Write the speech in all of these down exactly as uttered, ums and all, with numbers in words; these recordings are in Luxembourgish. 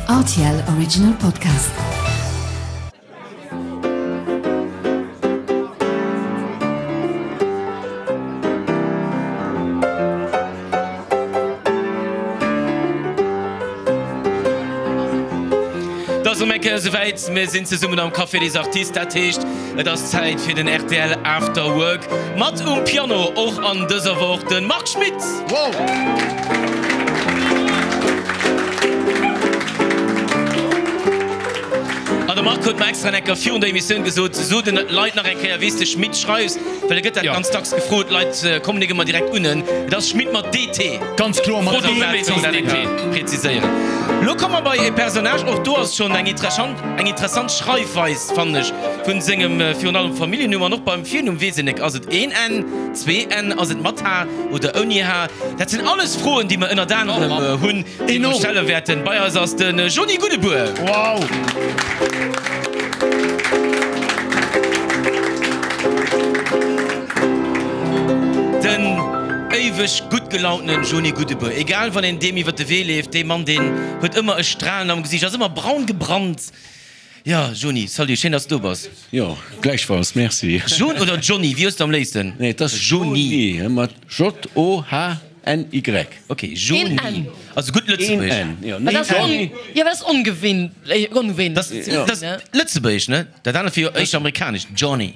R T L Original Podcast. Et ass erëm eng Kéier esouwäit, mir sinn zesummen am Café des Artistes, dat heescht et ass Zäit fir den R T L After Work. Mat um Piano och an dëser Woch de Marc Schmitt. Wow! An de Marc huet mer extra eng Kéier virun der Emissioun gesot, so den Leit nach eng Kéier wéi s de Schmitt schreifs, well e gëtt dat ganz dacks gefrot, d'Leit kommen nik ëmmer direkt un en. Et ass Schmitt mat D T. Ganz kloer mat Fro D T. Dat eng Kéier präziséieren. Lo komme mer bei e Personnage, och do ass schonn eng interessant, eng interessant Schreifweis, fannen ech, vun sengem virun allem Familljennumm an och beim Virnumm weess een nek, ass et een N, zwee N, ass et mat H oder ouni H? Dat sinn alles Froen, déi mer ënnert anerem hunn, déi mer stelle wäerten. Bei eis ass de Jony Goudebour. Wow! Den éiweg gutt gelauntenen Jony Goudebour. Egal wann een deem iwwer de Wee leeft, dee Mann deen huet ëmmer e Stralen am Gesiicht, ass ëmmer braun gebrannt. Jo, Jony, salut, schéin dass de do bass. Jo, gläichfalls, merci. Jon oder Johnny, wéi hues de am léifsten? Nee, et ass Jony mat J O H N Y. Ok, Jony, also gutt Lëtzebuergesch. Een N, jo. Nee, Johnny. Jo, dat ass ongewinnt. Dat ass Lëtzebuergesch, ne? Dat anert wier jo éischter amerikanesch, Johnny.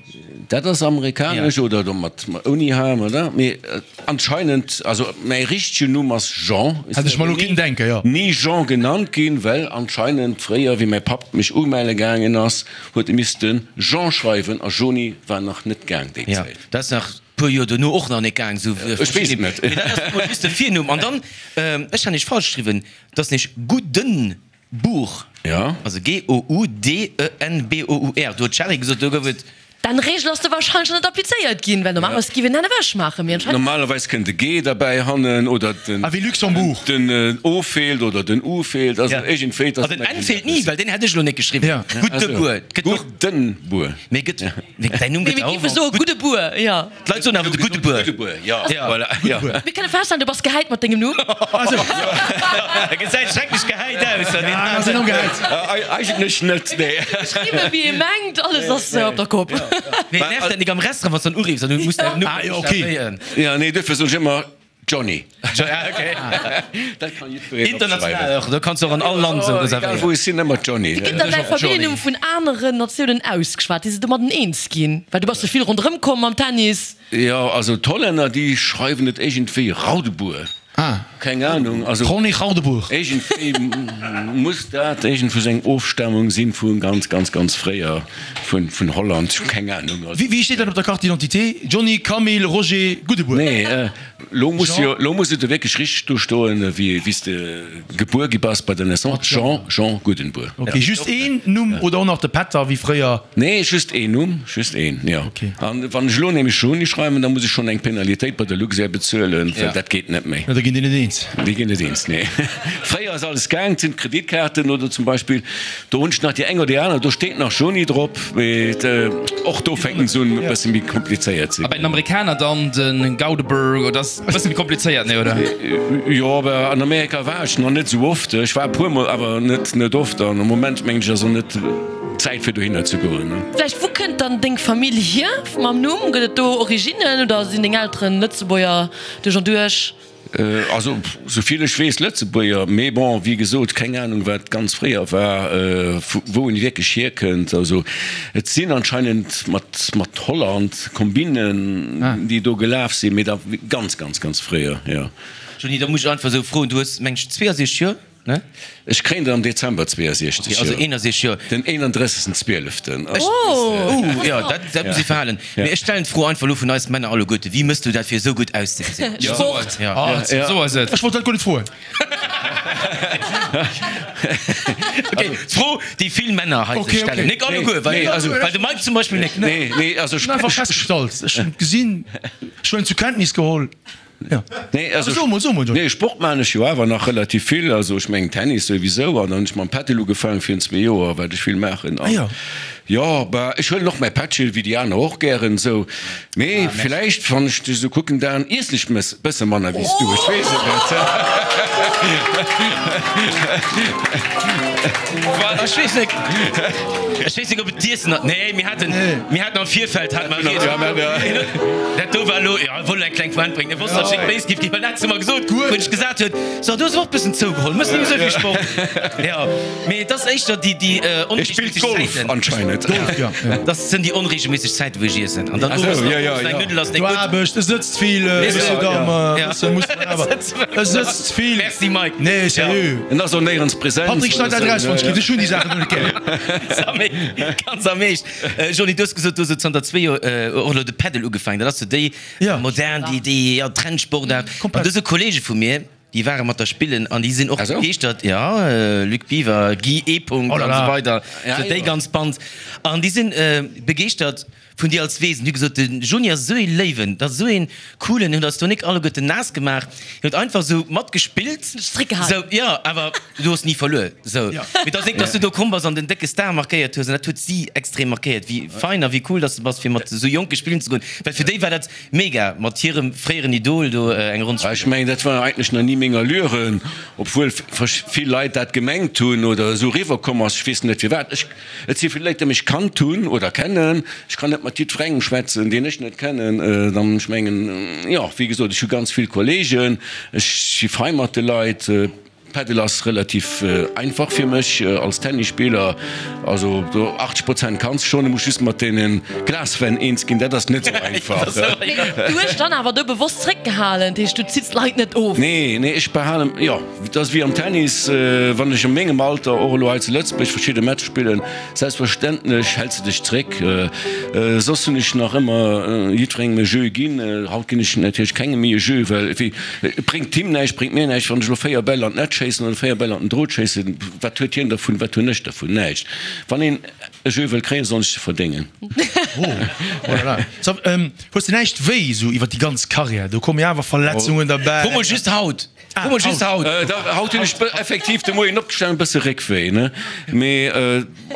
Dat ass amerikanesch oder do mat ouni H, oder? Mee anscheinend, also mäi richtegen Numm ass Jean. Hätt ech mer elo kinnen denken, jo. Ni Jean genannt ginn, well anscheinend fréier, wéi mäi Papp mech umelle gaangen ass, huet e misste Jean schreiwen a Jony war nach net gaang déi Jo, Zäit. dat ass nach puer Joer dono och nach net gaang, esou Ech weess et net. Mee dat ass emol just de Virnumm. An dann, ech hat nämlech falsch geschriwwen, et ass nämlech Guddenbour. Ja. Also G O U D E N B O U R. Do huet d'Shari gesot, do gouf et. Den Regel ass do wahrscheinlech net applizéiert ginn, well normalerweis giff een dat ewech maachen, mee anscheinend. Normalerweis kënnt e G derbäi hannen oder den. Ah, wéi Luxembourg. Den O feelt oder den U feelt, also iergendwéi. Ah, den N feelt ni, well deen hätt ech elo net geschriwwen. Ja. Guddebuer. Gëtt och. Guddenbuer. Mee gëtt, mee däin Numm Mee gëtt mir och. giffe soe Guddebuer, jo. D'Leit soen awer de Guddebuer. Guddebuer, jo, voilà, jo. Mir kënne feststellen, du bass gehäit mat dengem Numm. E gesäit schrecklech gehäit aus. Ja, ass enorm gehäit. Eigentlech net, nee. Geschriwwe wéi ee mengt, alles ass op der Kopp. Mee nervt dat nik am Restaurant, wann s du dann uriffs an du muss däin Numm Ah, jo, okay. buchstabéieren? Ja, nee, duerfir soen ech ëmmer Johnny. Ah, okay. Dat kann jiddwereen International opschreiwen. och, do kanns du och an all Land esou Egal reservéieren. wou ech sinn, ëmmer Johnny. Wéi gëtt dann däi Familljennumm vun aneren Natiounen ausgeschwat, déi se domadden eens ginn? Well du bass jo vill ronderëm komm mam Tennis. Jo, also d'Hollänner, déi schreiwen et iergendwéi Raudeboer. Ah. Keng Ahnung, also. Ronny Raudeboer. Iergendwéi muss dat iergendwou seng Ofstamung sinn vu ganz, ganz, ganz fréier, vun, vun Holland, keng Ahnung. Also. Wéi steet dat op der Carte d'identité? Johnny Camille Roger Goudebour? Nee, lo muss Jean. jo, lo muss et jo wierklech richteg do stoen, wéi, wéi s de gebuer gi bass bei der Naissance, Jean, Jean Goudenbour. Ok, just een Numm oder och nach de Pätter wéi fréier? Nee, just een Numm, just een, jo. Ok. An wann ech elo nämlech Jony schreiwen, da muss ech schonn eng Penalitéit bei der Luxair bezuelen, well dat geet net méi. Jo, da ginn déi net eens. Déi ginn net eens, nee. Fréier ass alles gaang, et sinn d'Kreditkaarten oder zum Beispill, do hunn ech nach déi eng oder déi aner, do steet nach Jony drop, mee och do fänken se un e bësse méi komplizéiert ze A bei den ginn. Amerikaner dann de Gaudeberg, oder ass e bësse méi komplizéiert, nee, oder? Jo, awer an Amerika war ech nach net esou oft. Ech war e puermol, awer net net oft. An am Moment mengen ech ass och net d'Zäit fir dohinner ze goen. Vläicht, wou kënnt dann deng Famill hier mam Numm? Gëtt et do Originnen oder sinn deng Elteren Lëtzebuerger duerch an duerch? Also souvill ech weess Lëtzebuerger, mee bon, wéi gesot, keng Anung wat ganz fréier war, vu wou en wierklech hierkënnt. Also et sinn anscheinend mat mat Holland Kombinen déi do gelaf sinn, mee da ganz ganz ganz fréier, jo. Jeanny, da muss ech einfach esou froen, du hues meng ech zweeënsechzeg Joer, ne? Ech kréien der am Dezember zweeënsechzeg Okay, also Joer. eenasechzeg Joer. Den eenandrëssegsten Zwieleften. Ech, Oh! uh, jo, dat, dat muss ee verhalen. Mee ech stellen d'Fro einfach elo vun eis Männer alleguerte, Wéi mëss du dat fir esou gutt auszegesinn? Sport! Ja. Ah, Esou ass et. Ech wollt dat guer net froen. Okay, d'Fro, déi vill Männer hei sech Okay, stellen. okay. Nik alleguer, well, Nee, also- well de Mike zum Beispill nik. Nee, nee, also Ech hunn einfach festgestallt, ech hunn et gesinn, ech hunn et zur Kenntnis geholl. Ja. Nee, also, So mol, so mol, Johnny. nee, Sport maan ech jo awer nach relativ vill. Also ech mengen Tennis souwisou an dann hunn ech mam Paddle ugefaangen virun zwee Joer, wat ech vill maachen. An Ah ja. Jo, bah, ech huelen och mäi Pättchen, wéi déi aner och gären esou. Mee villäicht, wann ech dech esou kucken, Dan, iessen ech mes bësse manner wéi s du. Ech weess et net. Ech weess net, ech weess net, ob et d'Iessen ass. Nee, mir haten, mir haten am Virfeld hate mer rieds. Dat do war elo, jo, e wollt eng kleng Pointe bréngen. E wosst, datt ech eng béis giff ginn, well dat hat se mer gesot, wou ech gesat huet, So, du hues awer och bëssen zougeholl, méchs net méi esou vill Sport. Jo, mee et ass éischter déi, déi onregelméisseg Zäiten. Anscheinend. Golf, ja. Dat sinn déi onregelméisseg Zäiten, wou ech iessen. An dann owes nach owes eng Nuddel ass net Du gutt. Aarbecht, e sëtzt vill, Monsieur Dame, bësse muss man awer, e sëtzt vill. Merci Mike. Nee, sérieux. En ass och néierens present. Patrick, schneid dat eraus, wann ech giff, ech hunn déi Saachen net gär. Ganz am Eescht. Johnny, du hues gesot, du hues elo zanter zwee Joer och elo de Padel ugefaangen. Dat ass sou déi modern, déi, déi, ja, Trendsportaart. An do si Kollege vu mir, Déi ware mat der spillen an déi sinn och begeeschtert, jo, Luc Biver, Guy E. Punkt an esou weider, sou déi ganz Band. An déi sinn begeeschtert vun dir als Wesen. Déi hu gesot, de Juni ass esou ee Léiwen, dat ass esou een coolen, en huet eis do nik alleguerten naass gemaach, hien huet einfach esou matgespillt, sou, jo, awer du hues ni verluer, sou. Mee et ass nik, dass du do komm bass an den décke Star markéiert hues, an dat huet si extrem markéiert, wéi fein a wéi cool dass de bass, fir mat esou Jonke spillen ze goen, well fir déi war dat Mega, mat hirem fréieren Idol do eng Ronn spillen. Ech mengen, dat war eigentlech nach ni meng Allure, obwuel vill Leit dat gemengt hunn oder esou eriwwer komm ass. Ech weess net firwat. Ech, et si vill Leit, déi mech kannt hunn oder kennen. Ech kann net mat jiddwerengem schwätzen, deen ech net kennen. Dann, ech mengen, jo, wéi gesot, ech hu ganz vill Kollegen, ech si fei mat de Leit. Paddle ass relativ einfach fir mech als Tennisspiller, also do achtzeg Prozent kanns schon, du muss just mat deenen Glaswänn eens ginn, dat ass net sou einfach. Mee du hues dann awer do bewosst zréckgehalen, dat heescht du zitts d'Leit net of? Nee, nee, ech behalen, jo, dat ass wéi am Tennis, wann ech a mengem Alter och elo hei zu Lëtzebuerg verschidde Matcher spillen, selbstverständlech häls de dech zréck. Soss hunn ech nach ëmmer jiddwerengem e Jeu ginn, haut ginn ech natierlech kengem méi e Jeu, well wéi Et bréngt him näischt, bréngt mir näischt, wann ech elo véier Bäll an d'Netz schéissen oder véier Bäll an den Drot schéissen. Wat huet hien dervun, wat hunn ech dervun? Näischt. Wann een e Jeu wëll kréien, soll en sech e verdéngen. Oh là là. So, hues de näischt wéi esou iwwer déi ganz Karriär? Do komme jo awer Verletzungen derbäi. Fro mol just haut. Fro mol just haut. Dach, haut hunn ech effektiv de Moien opgestanen, e bësse Réckwéi, ne? Mee.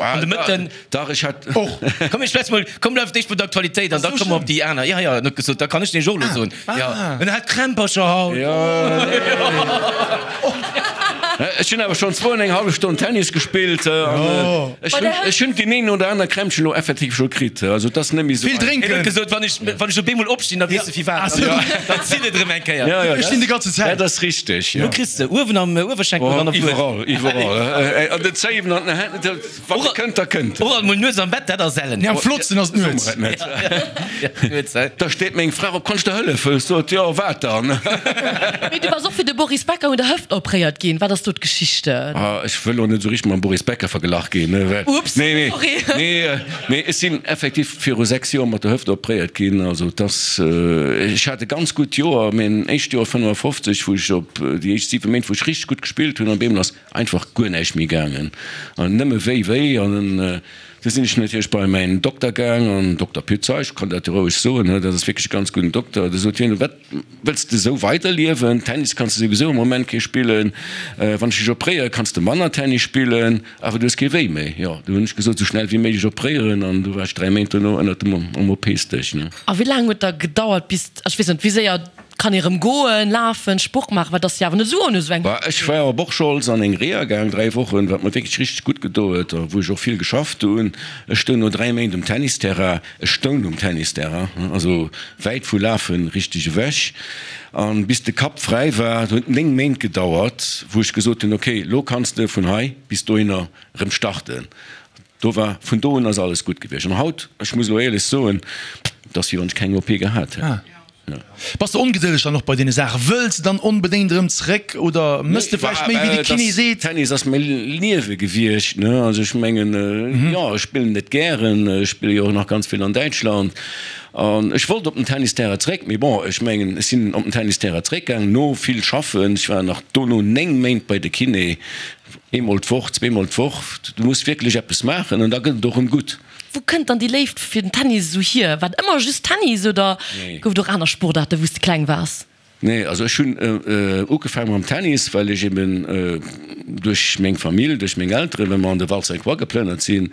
An de Mëtten. Dach, ech hat. Och. Komm, ech schwätz mol, komm, bleift éischt bei der Aktualitéit an da komme mer op déi aner. Jo, jo, en huet gesot, da kann ech nämlech och elo soen. Jo, en hat Krämpercher haut. Jo, ech hunn awer schonn zwou an eng hallef Stonn Tennis gespillt an ech hunn, ech hunn deen een oder aner Krämpchen elo effektiv scho kritt. Also et ass net méi esou. Vill drénken. En huet gesot, wann ech, wann ech op eemol opstinn, da weess de firwat. Dann zitt et erëm eng Kéier. Jo, jo, Ech stinn déi ganze Zäit. dat ass richteg, jo. Wou kriss de? Uewen am Uewerschenkel oder an der Wued? Iwwerall, iwwerall. An den Zéiwen, an den Hänn. Wann et kënnt, da kënnt et. Och alt mol nuets am Bett, dat ass ellen. Nee, am flottsten ass et nuets. Nuets, hä? Da steet meng Fra op, Kann ech der hëllefen? Ech sot, Jo, wat dann? Mee du bass och fir de Boris Becker un der Hëft opréiert ginn. Wat ass do d'Geschichte? Ah, ech wëll och net esou richteg mam Boris Becker verglach ginn, ne, well. Ups, Nee, nee, sorry. nee, mee ech sinn effektiv viru sechs Joer mat der Hëft opréiert ginn. Also et ass, ech hat e ganz gutt Joer, mäin éischt Joer fënnefafofzeg, wou ech op déi éischt siwe Méint, wou ech richteg gutt gespillt hunn, an op eemol ass Einfach guer näischt méi gaangen an nëmme wéi wéi. An du sinn ech natierlech bei mäin Dokter gaang, an Dokter Pützer, ech kann dat jo roueg soen, dat ass wierklech e ganz gudden Dokter, du sot hien, wat wëlls de esou weiderliewen, Tennis kanns de souwisou am Moment kee spillen, wann ech dech opréiere kanns de manner Tennis spillen, awer du hues kee Wéi méi. Jo, du hunn ech gesot, esou schnell wéi méiglech opréieren, an du war ech dräi Méint dono ënnert dem am OP-Stéch. A wéi laang huet da gedauert bis, ech weess net, wéi séier Kann ee rëm goen, lafen, Sport maachen, wat ass jo awer net esou ohne esou eng. Bah, ech war op Orscholz an eng Reha gaang, dräi Wochen, wat mer wierklech richteg gutt gedo huet a wou ech och vill geschafft hunn. Ech stoung no dräi Méint um Tennisterrain, ech stoung um Tennisterrain, also wäit vu lafen richteg ewech. An bis de Kapp fräi war, dat huet néng Méint gedauert, wou ech gesot hunn, ok, lo kanns de vun hei bis dohinner rëm starten. Do war, vun do un ass alles gutt gewiescht. An haut, ech muss elo éierlech soen, et ass wéi wann ech keng O P gehat hätt. Bass de ongedëlleg dann och bei deene Saachen? Wëlls de dann onbedéngt erëm zréck oder mëss de vläicht méi wéi de Kiné seet? Tennis ass mäi Liewe gewiescht, ne? Also ech mengen, jo, ech spillen et gären, ech spille jo och nach ganz vill an Däitschland an ech wollt op den Tennisterrain zréck, mee bon, ech mengen, ech sinn op den Tennisterrain zréckgaangen no vill schaffen. Ech war nach dono néng Méint bei de Kiné, eemol d'Woch, zweemol d'Woch. Du muss wierklech eppes maachen an da gëtt et och erëm gutt. Wou kënnt dann déi Léift fir den Tennis esou hier? War et ëmmer just Tennis oder gouf et och aner Sportaarten, wou s de kleng waars? Nee, also ech hunn ugefaangen mam Tennis, well ech eben duerch meng Famill, duerch meng Elteren, well mer an de Val Sainte-Croix geplënnert sinn,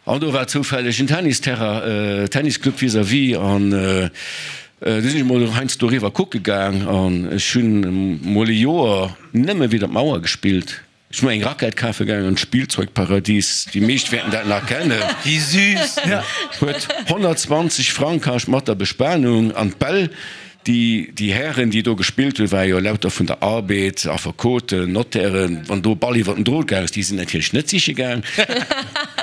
an do war zoufälleg en Tennisterrain, Tennisclub vis-à-vis, an du sinn ech mol heiansdo eriwwer kucke gaang an ech hunn mol e Joer nëmme widder d'Mauer gespillt. Ech hu mer eng Rackett kafe gaangen an d'Spielzeugparadies, déi meescht wäerten dat nach kennen. Wéi süß! Huet honnertzwanzeg Frang kascht mat der Bespanung an d'Bäll. Déi, déi Hären, déi do gespillt hunn, ware jo lauter vun der Arbed, Affekoten, Notairen. Wann do e Ball iwwer den Drot gaang ass, déi sinn natierlech net siche gaang.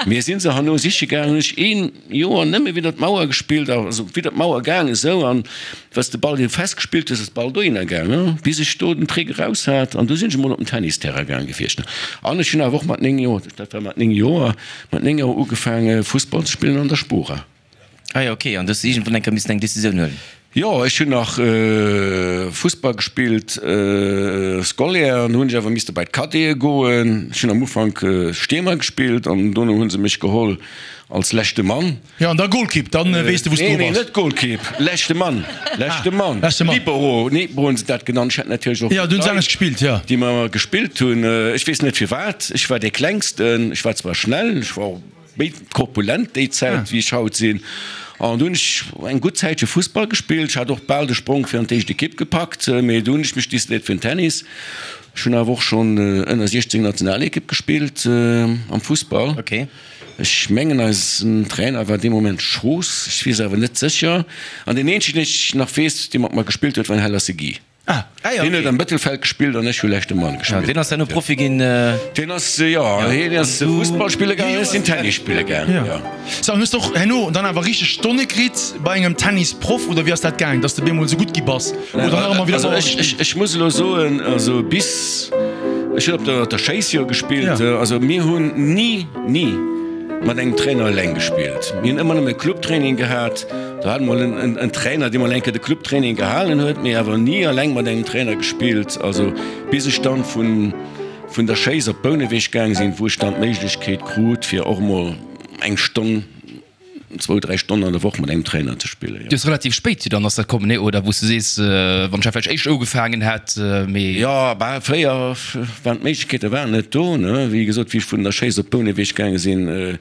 Mir si se herno siche gaang. Hunn ech een Joer nëmme widder d'Mauer gespillt, also widder d'Mauer gaang esou, an wa s de Ball fest gespillt hues, ass de Ball dohinner gaang, bis ech do den Trick eraus hat. An du sinn ech emol op den Tennisterrain gaang gewiescht. An ech hunn awer och mat néng Joer, dat war mat néng Joer, mat néng Joer ugefaange Fussball ze spillen an der Spora. Ah jo, ok. An du hues iergendwann eng Kéier missen eng Decisioun huelen? Jo, ech hunn nach Fussball gespillt, scolaire, an du hunn ech awer misste bei d'Cadete goen. Ech hunn am Ufank Stiermer gespillt an dono hu se mech geholl als leschte Mann. Jo, an da Golkipp, dann weess de wou s du Nee, nee, bass. net Golkipp, leschte Mann, leschte Mann, Leschte Mann. Libero, Libero hunn se dat genannt. Ech hat natierlech och Jo, du hunn se Leit, anescht gespillt, jo. déi mat mer gespillt hunn. Ech weess net firwat, ech war dee Klengsten, ech war zwar schnell, ech war och méi korpulent déi Zäit wéi ech haut sinn. An du hunn ech eng gutt Zäitche Fussball gespillt. Ech hat och bal de Sprong fir an d'éischt Ekipp gepackt, mee du hunn ech mech decidéiert fir den Tennis. Ech hunn awer och schonn ënner siechzéng Nationalekipp gespillt am Fussball. Ech mengen eisen Trainer war dee Moment Schoos, ech weess awer net sécher. An deen eenzegen deen ech nach weess, dee mat mer gespillt huet, war den Heller Segui. Ah, Hien huet am Mëttelfeld gespillt an ech hu leschte Mann gespillt. Deen ass herno Profi ginn. Deen ass, jo, hien ass Fussball spille gaangen, ech sinn Tennis spille gaangen, jo. So, an hues de och herno dann awer richteg Stonne kritt bei engem Tennisproff oder wéi ass dat gaang, dass de bemol esou gutt gi bass oder nach ëmmer wieder Also sauer ech, gespillt? ech muss elo soen, also bis, ech hunn op der, der Schéiss jo gespillt, also mir hunn ni, ni mat engem Trainer eleng gespillt. Mir hunn ëmmer nëmme Clubtraining gehat. Do hat mol en Trainer, dee mol eng Kéier de Clubtraining gehalen huet, mee awer ni eleng mat engem Trainer gespillt. Also bis ech dann vun vun der Schéiss op Bouneweg gaang sinn, wou ech dann d'Méiglechkeet krut, fir och mol eng Stonn, zwou, dräi Stonnen an der Woch mat engem Trainer ze spillen, jo. Du hues relativ spéit dann ass dat komm, nee? Oder wou s du sees, wann ech dat vläicht éischt ugefaangen hätt, mee. Jo, bah, fréier waren d'Méiglechkeete waren net do, ne. Wéi gesot, wéi ech vun der Schéiss op Bouneweg gaange sinn,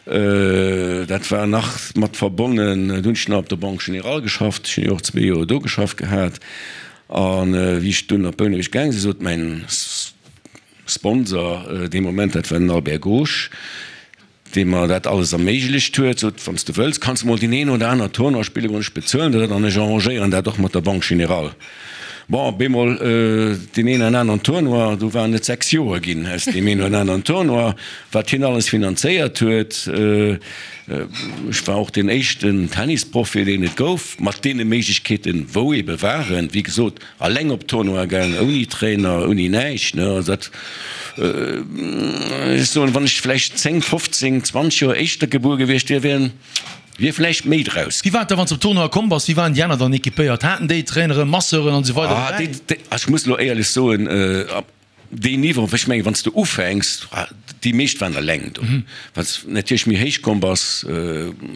dat war nach mat verbonnen, do hunn ech nach op der Banque Générale geschafft, ech hunn jo och zwee Joer do geschafft gehat. A wéi ech dunn op Bouneweg gaange sinn, sot mäin Sponsor dee Moment, dat war den Albert Gosch, dee mer dat alles erméiglecht huet, sot, Wann s de wëlls, kanns de mol deen een oder aner Tournoi spille goen, ech bezuelen der dat an ech arrangéieren dat och mat der Banque Générale. Bon, op eemol deen een an aneren Tournoi, do waren et sechs Joer ginn aus deem een oder aneren Tournoi, wat hien alles finanzéiert huet. Ech war och deen éischten Tennisprofi, deen et gouf, mat deene Méiglechkeeten, wou ebe waren. Wéi gesot, alleng op Tournoi gaangen, ouni Trainer, ouni näischt, ne. Also dat, ech soen, wann ech vläicht zéng, fofzéng, zwanzeg Joer éischter gebuer gewiescht wier, wier wier vläicht méi draus. Wéi war et da, wann s de op Tournoi komm bass? Wéi waren déi aner dann equipéiert? Haten déi Traineren, Masseuren an esou weider Ah, dobäi? déi, déi, ech muss elo éierlech soen, ab deen Niveau, ech mengen, wann s de ufänks, déi meescht waren eleng do. Wann s natierlech méi héich komm bass,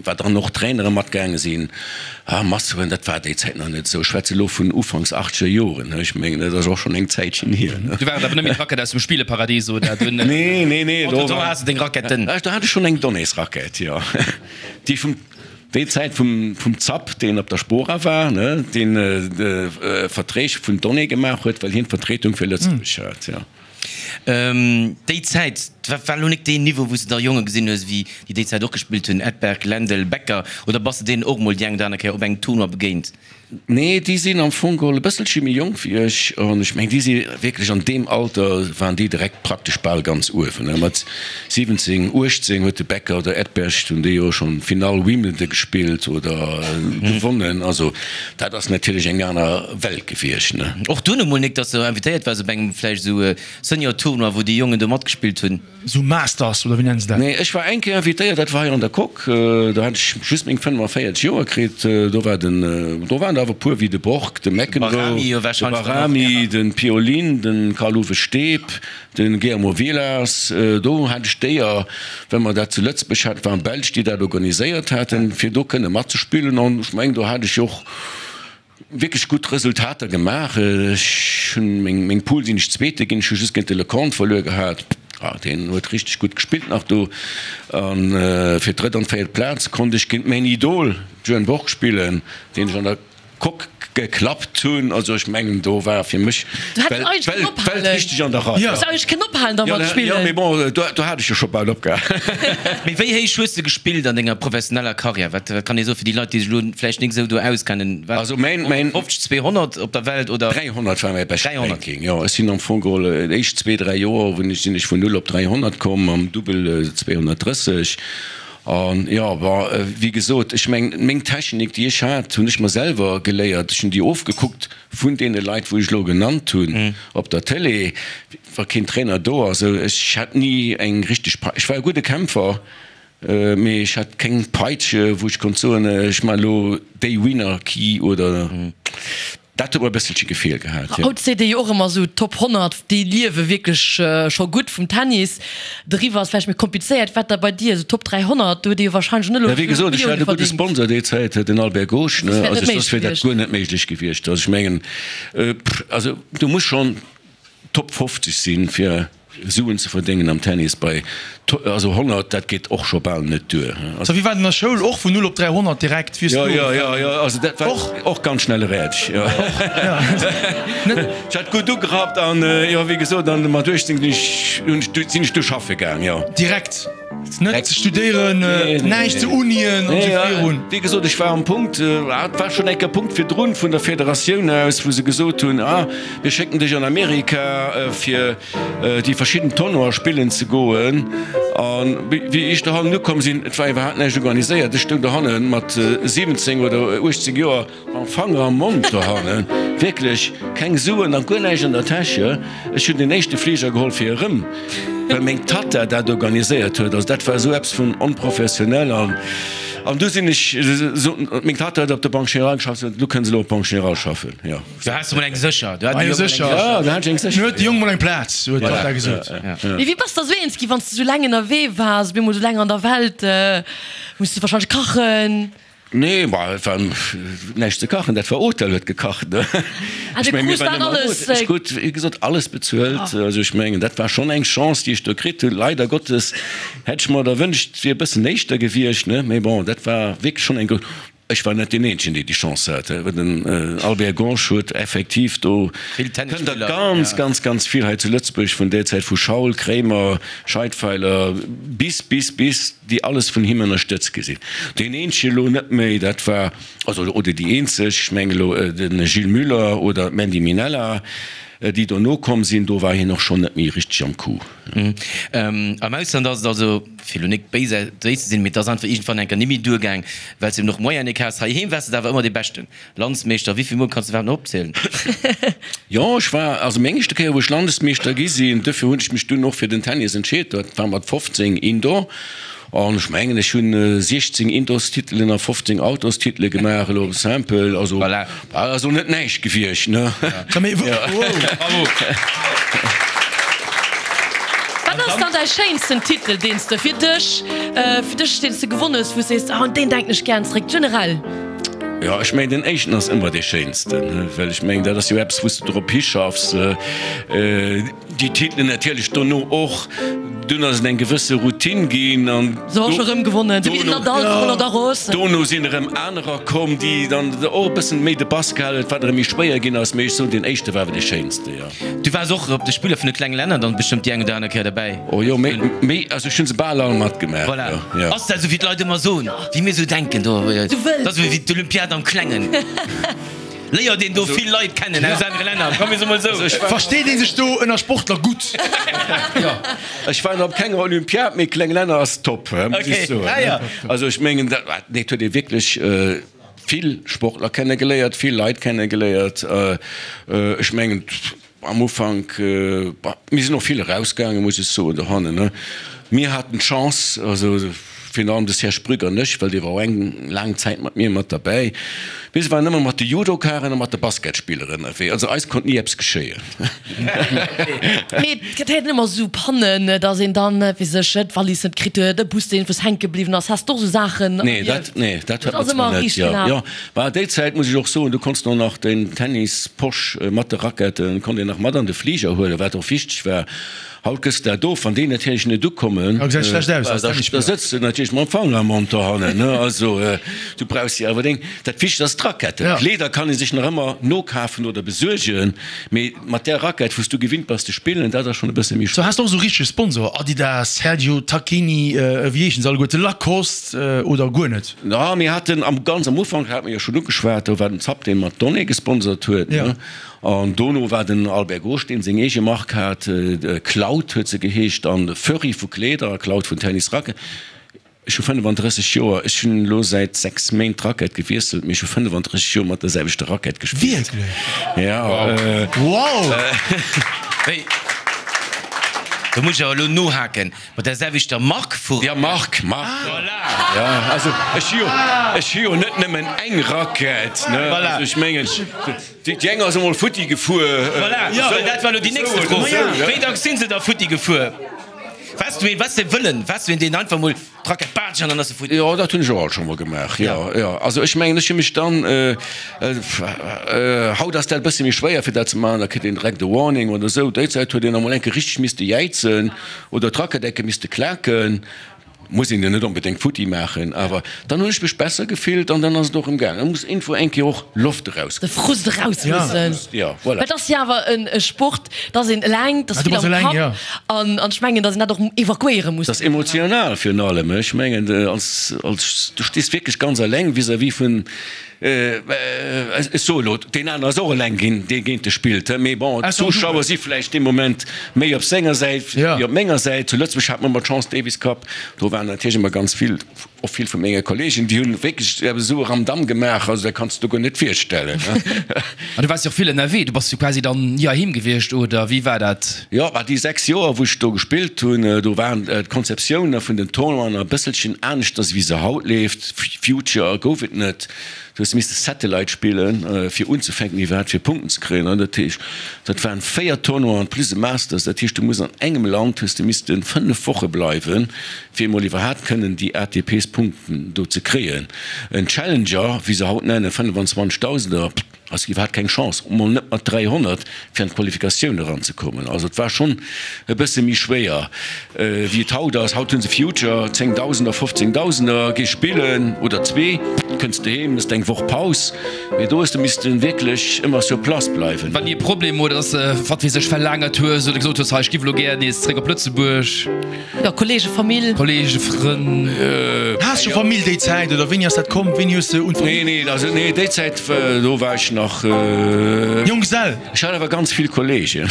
wat dann och Trainere matgaange sinn, ah, Masseuren, dat war déi Zäit nach net esou. Ech schwätze elo vun ufanks achtzeger Joren, ne, ech mengen, dat ass och schonn eng Zäitchen hier, ne. Du war et awer net méi d'Rackett aus dem Spieleparadies oder dunn? Nee, nee, nee, do Do war, has de deng Racketten. do hat ech schonn eng Donneesrackett, jo. Déi vum, déi Zäit vum, vum Zapp, deen op der Spora war, ne, deen Verträg vun Donné gemaach huet, well hien d'Vertretung fir Lëtzebuerg hat, jo. Déi Zäit, dat war elo nik deen Niveau, wou s de da Jonge gesinn hues, wéi déi déi Zäit och gespillt hunn, Edberg, Lendl, Becker, oder bass de deenen och mol déi eng oder aner Kéier op engem Tournoi begéint? Nee, déi sinn am Fong geholl e bësselche méi jonk wéi ech an ech mengen, déi si wierklech an deem Alter waren déi direkt praktesch bal ganz uewen. Mat siwwenzéng, uechtzéng huet de Becker oder Edberg, hunn déi jo schonn Finall Wimbledon gespillt oder gewonnen. Also dat ass natierlech eng aner Welt gewiescht, ne. Och dunn emol nik, dass de invitéiert waars op engem vläicht esou Senior-Tournoi, wou déi Jongen do matgespillt hunn? Sou Masters oder wéi nennen se dat? Nee, ech war eng Kéier invitéiert, dat war hei an der Coque, do hat ech just meng fënnefenvéierzeg Joer kritt. Do war den, do waren der awer e puer wéi de Borg, de McEnroe, de Bahrami, de Piolin, de Karl-Uwe Steeb, de Guillermo Vilas. Do hat ech d'Éier, well mer dat zu Lëtzebuerg haten, et waren Belsch, déi dat organiséiert haten, fir do kënne matzespillen. An ech mengen, do hat ech och wierklech gutt Resultater gemaach. Ech hunn meng, meng Poule sinn ech Zweete ginn, ech hu just géint de Lecomte verluer gehat. Ah, deen huet richteg gutt gespillt nach do. An fir d'drëtt an d'véiert Plaz konnt ech géint mäin Idol Björn Borg spillen, deen ech an der Coque geklappt hunn. Also ech mengen, do war fir mech d'Welt richteg an der Rei. Du häss eigentlech kënnen ophalen da mat spillen. Jo, mee bon, do hat ech jo scho bal opgehal. Mee wéi héich hues de gespillt an denger professioneller Karriär? Wat kann ee soen fir déi Leit, déi sech elo vläicht nik esou do auskennen? War Also mäin, mäin. fofzeg, zweehonnert op der Welt oder? dräihonnert war mäi bescht dräihonnert. Ranking, jo. Ech sinn am Fong geholl déi éischt zwee, dräi Joer hunn ech, sinn ech vun null op dräihonnert komm, am Dubbel zweehonnertdrësseg. An jo, bon, wéi gesot, ech mengen, meng Technik, déi ech hat, hunn ech mer selwer geléiert. Ech hunn déi ofgekuckt vun deene Leit, wou ech elo genannt hunn op der Télé, wa keen Trainer do ass. Ech hat ni eng richteg Pei, ech war e gudde Kämpfer, mee ech hat keng Peitsche, wou ech konnt soen, ech maachen elo déi Winner Key oder. Dat huet mer e bësselche gefeelt gehat, jo. Haut seet ee jo och ëmmer esou, Top honnert, déi liewe wierklech scho gutt vum Tennis. Doriwwer ass vläicht méi komplizéiert. Wat da bei dir, esou Top dräihonnert, do huet ee jo warscheinlech net elo Ja, wéi gesot, ech Millioune hat e gudde verdéngt. Sponsor déi Zäit, den Albert Gosch, ne. Soss wär et Also net soss wier méiglech dat gewiescht. guer net méiglech gewiescht. Also ech mengen, also du muss schonn Top fofzeg sinn, fir Suen ze verdéngen am Tennis. Bei also honnert, dat geet och scho bal net duer. So wéi war den der Schoul och vun null op dräihonnert direkt wéi s Jo, du jo, jo, jo, also dat war och och ganz schnell erädeg, jo. Ech hat gutt ugerappt an jo, wéi gesot, an mat uechtzéng sinn ech, hunn ech, sinn ech du schaffe gaang, jo. Direkt? Net ze studéieren, näischt ze Unien an esou virun? Wéi gesot, ech war am Punkt, et war schonn enk e Punkt virdrun vun der Federatioun aus, wou se gesot hunn, ah, mir schécken dech an Amerika fir déi verschidden Tournoie spillen ze goen. A wéi ech dohannen ukomm sinn, et war iwwerhaapt näischt organiséiert, ech stoung dohanne mat siwwenzéng oder uechtzéng Joer mam Fanger am Mond dohannen, wierklech keng Suen a guer näischt an der Täsche. Ech hunn den éischte Fliger geholl fir erëm, well meng Tatta dat organiséiert huet. Also dat war esou eppes vun onprofessionell. An an du sinn ech, meng Tatta huet op der Banque Générale geschafft, si sot, du kënns elo op d'Banque Générale schaffen, jo. Du has mol eng sécher. Du hat Eng de Jong mol eng sécher. Ja, du hat ech eng sécher. Du huet de Jong mol eng Plaz, huet d'Tatta gesot. Mee wéi bass de da sou eens gi, wann s de sou laang ënnerwee waars, op eemol sou laang an der Welt, muss de warscheinlech kachen? Nee, bah, et war näischt ze kachen, dat war Hotel huet gekacht, ne. Ah, Ech du mengen, mir krus waren dat ëmmer am alles. Hotel. Ech krut, wéi gesot, alles bezuelt. Also ech mengen, dat war schonn eng Chance, déi ech do kritt hunn. Leider Gottes hätt ech mer der wënscht, et wier e bëssen éischter gewiescht, ne. Mee bon, dat war wierklech schonn eng grouss. Ech war net deen eenzegen, dee déi Chance hat. Den Albert Gonsch huet effektiv do, Vill kënnt der Tennisspiller, ganz, ja. ganz, ganz vill hei zu Lëtzebuerg vun där Zäit, vu Schaul, Kremer, Scheidfeiler bis, bis, bis, déi alles vun him ënnerstëtzt gi sinn. Deen eenzege elo net méi, dat war, also, oder déi eenzeg, ech mengen elo de Gilles Muller oder d'Mandy Minella, déi dono komm sinn, do war hien och schonn net méi richteg am Coup. Am Ausland ass et also, fir elo nik béis ze sinn, mee et ass einfach iergendwann eng Kéier nimmi duergaang, well s de eben och Moyen nik has. Heiheem waars de da awer ëmmer dee Beschten. Landsmeeschter, wéi vill Mol kanns de iwwerhaapt nach opzielen? Jo, ech war, also meng éischte Kéier wou ech Landesmeeschter gi sinn, duerfir hunn ech mech dunn och fir den Tennis entscheet, dat war mat fofzéng Indoor. An ech mengen, ech hunn siechzéng Indoorstitelen a fofzéng Outdoorstitele gemaach, elo simple. Also, Voilà. ass och net näischt gewiescht, ne? Bravo! Wat ass dann däi schéinsten Titel, deen s de fir dech, fir dech, deen s de gewonn hues, wou s sees, ah, un deen denken ech gären zeréck, generell? Jo, ech mengen, den éischten ass ëmmer dee schéinsten, well ech mengen, dat ass jo eppes, wou s de drop hischaffs. Déi Titelen natierlech dono och. Dunn ass et eng gewësse Routine ginn an dono sinn erëm anerer komm, déi dann och e bëssen méi de Bass gehalen huet, wat erëm méi schwéier ginn ass. Mee ech soen, deen éischte war awer dee schéinste, jo. Du waars och op de Spiller vun de klenge Länner dann bestëmmt déi eng oder aner Kéier derbäi? Oh jo, méi, méi, also ech hunn se bal all matgemaach, Voilà. jo, jo. Ass dat esou wéi d'Leit ëmmer soen, wéi mir esou denken do, dat ass esou wéi d'Olympiad am Klengen? Léiert een do vill Leit kennen aus anere Länner, komm mir soe mol esou. Versteet ee sech do ënner Sportler gutt? Ech war nach op kenger Olympiad, mee kleng Länner ass top, muss ech soen. Also ech mengen, dat huet ee wierklech vill Sportler kennegeléiert, vill Leit kennegeléiert. Ech mengen am Ufank, mir sinn och vill erausgaangen, muss ech soen, dohannen. Mir haten d'Chance, also virun allem de Serge Brück an ech, well dee war och eng laang Zäit mat mir mat derbäi, Mir waren ëmmer mat de Judokaren a mat de Basketspiller ënnerwee, also eis konnt ni eppes geschéien. Mee et gëtt héiert ëmmer esou Pannen, dass een dann, weess ech, d'Wallis net kritt huet, e Bus deen iergendwous hänke bliwwen ass. Has de och esou Saachen Nee, dat, erlieft? nee, dat Et hat ass mer zwar ëmmer net, riicht jo, gelaf. jo. Bah, déi Zäit muss ech och soen, du konns och nach den Tennisposch mat de Raquetten konnt een nach mat an de Fliger huelen, wat och wichteg war. Haut gëss de dat of, wann déi natierlech net ukommen, Da gesäit schlecht aus als da Tennisspiller. sëtz de natierlech mam Fanger am Mond dohannen, ne? Also, du brauchs jo awer deng, dat Wichtegst ass d'Raquette. Ja. D'Kleeder kann ee sech nach ëmmer nokafen oder besuergen, mee mat där Raquette, wou s du gewinnt bass ze spillen, dat ass schonn e bësse méi So schwéier. has de och esou richteg Sponsor, Adidas, Sergio Tacchini, wéi heeschen se alleguerte, Lacoste oder guer net? Na, mir haten am, ganz am Ufank, hat mir jo schonn ugeschwat, do war den Zapp, dee mat Donnay gesponsert huet, Ja. ne? An dono war den Albert Gosch, deen seng eege Mark hat, Cloud huet se geheescht, an Furry vu Kleeder a Cloud vun Tennisracket. Ech hu fënnefandrësseg Joer, ech hunn elo säit sechs Méint d'Racket gewiesselt, mee ech hu fënnefandrësseg Joer mat der selwechter Racket gespillt. Wierklech? Ja. Wow! Wéi? Do muss ech awer elo nohaken, mat der selwechter Mark vu Ja, Mark, Mark. Voilà. Ja, also ech hu jo, ech hu jo net nëmmen eng Racket, ne? Voilà. Also ech mengen, déi eng ass emol futti gefuer. Voilà, ja, well dat war elo déi nächste Fro. Wéi dacks sinn se da futti gefuer? Waars du een, waars de wëllen, waars du een, deen einfach mol d'Racket baatsch an dann ass se futti? Jo, dat hunn ech och alt scho mol gemaach, jo, jo. Also ech mengen, ech hu mech dann, haut ass dat e bësse méi schwéier fir dat ze maachen, da kritt een direkt e Warning oder esou. Déi Zäit huet een emol eng Kéier richteg misste jäizen oder d'Racket eng Kéier misste klaken. Muss een jo net onbedéngt futti maachen, awer dann hunn ech mech besser gefillt an dann ass et och erëm gaangen. Da muss iergendwou eng Kéier och Loft eraus. De Frust eraus mussen. Ja, voilà. Well et ass jo awer e Sport, da ass een eleng, da ass vill am Kapp an ech mengen, datt een dat och evakuéiere muss. Dat ass emotional virun allem. Ech mengen, als, als, du stees wierklech ganz eleng vis-à-vis vun, ech soe elo, deen aneren ass och eleng ginn, dee géint dech spillt, mee bon, d'Zuschauer si vläicht dee Moment méi op senger Säit wéi op menger Säit. Zu Lëtzebuerg hat mer ëmmer d'Chance, Davis Cup, do waren natierlech ëmmer ganz vill, och vill vu menge Kollegen, déi hunn wierklech esou e Ramdamm gemaach, also dat kanns de der guer net virstellen. An du waars jo och vill ënnerwee, du bass jo quasi dann ni heiheem gewiescht, oder wéi war dat? Jo, bah déi sechs Joer, wou ech do gespillt hunn, do waren d'Konzeptioune vun den Tournoien e bësselchen aneschters wéi se haut leeft. Future gouf et net. Du hues misste Satellite spillen, fir unzefänken iwwerhaapt fir Punkten ze kréien. An dat heescht, dat waren véier Tournoien plus e Masters. Dat heescht, du muss an engem Land hues de misste fënnef Woche bleiwen, fir emol iwwerhaapt kënnen déi A T Ps Punkten do ze kréien. En Challenger, wéi se haut nennen, fënnefenzwanzegdausender, ass iwwerhaapt keng Chance, emol net mat dräihonnert, fir an d'Qualifikatioun eranzekommen. Also et war schonn e bësse méi schwéier, wéi et haut ass. Haut hu se Future, Zéngdausender, Fofzéngdausender, gees spillen oder zwee, kënns de heem, mëss eng Woch Paus. Mee do hues de misste wierklech ëmmer sur place bleiwen. War ni e Problem oder dass de, wat weess ech, verlaangert hues oder gesot hues, hei ech giff elo gär nees zréck op Lëtzebuerg? Jo, Kollege, Famill. Kollege, Frënn. Has scho Famill déi Zäit oder wéini ass dat komm? Wéini hues de un Famill? Nee, nee, also nee, déi Zäit do war ech nach. Jonggesell? Ech hat awer ganz vill Kollegen.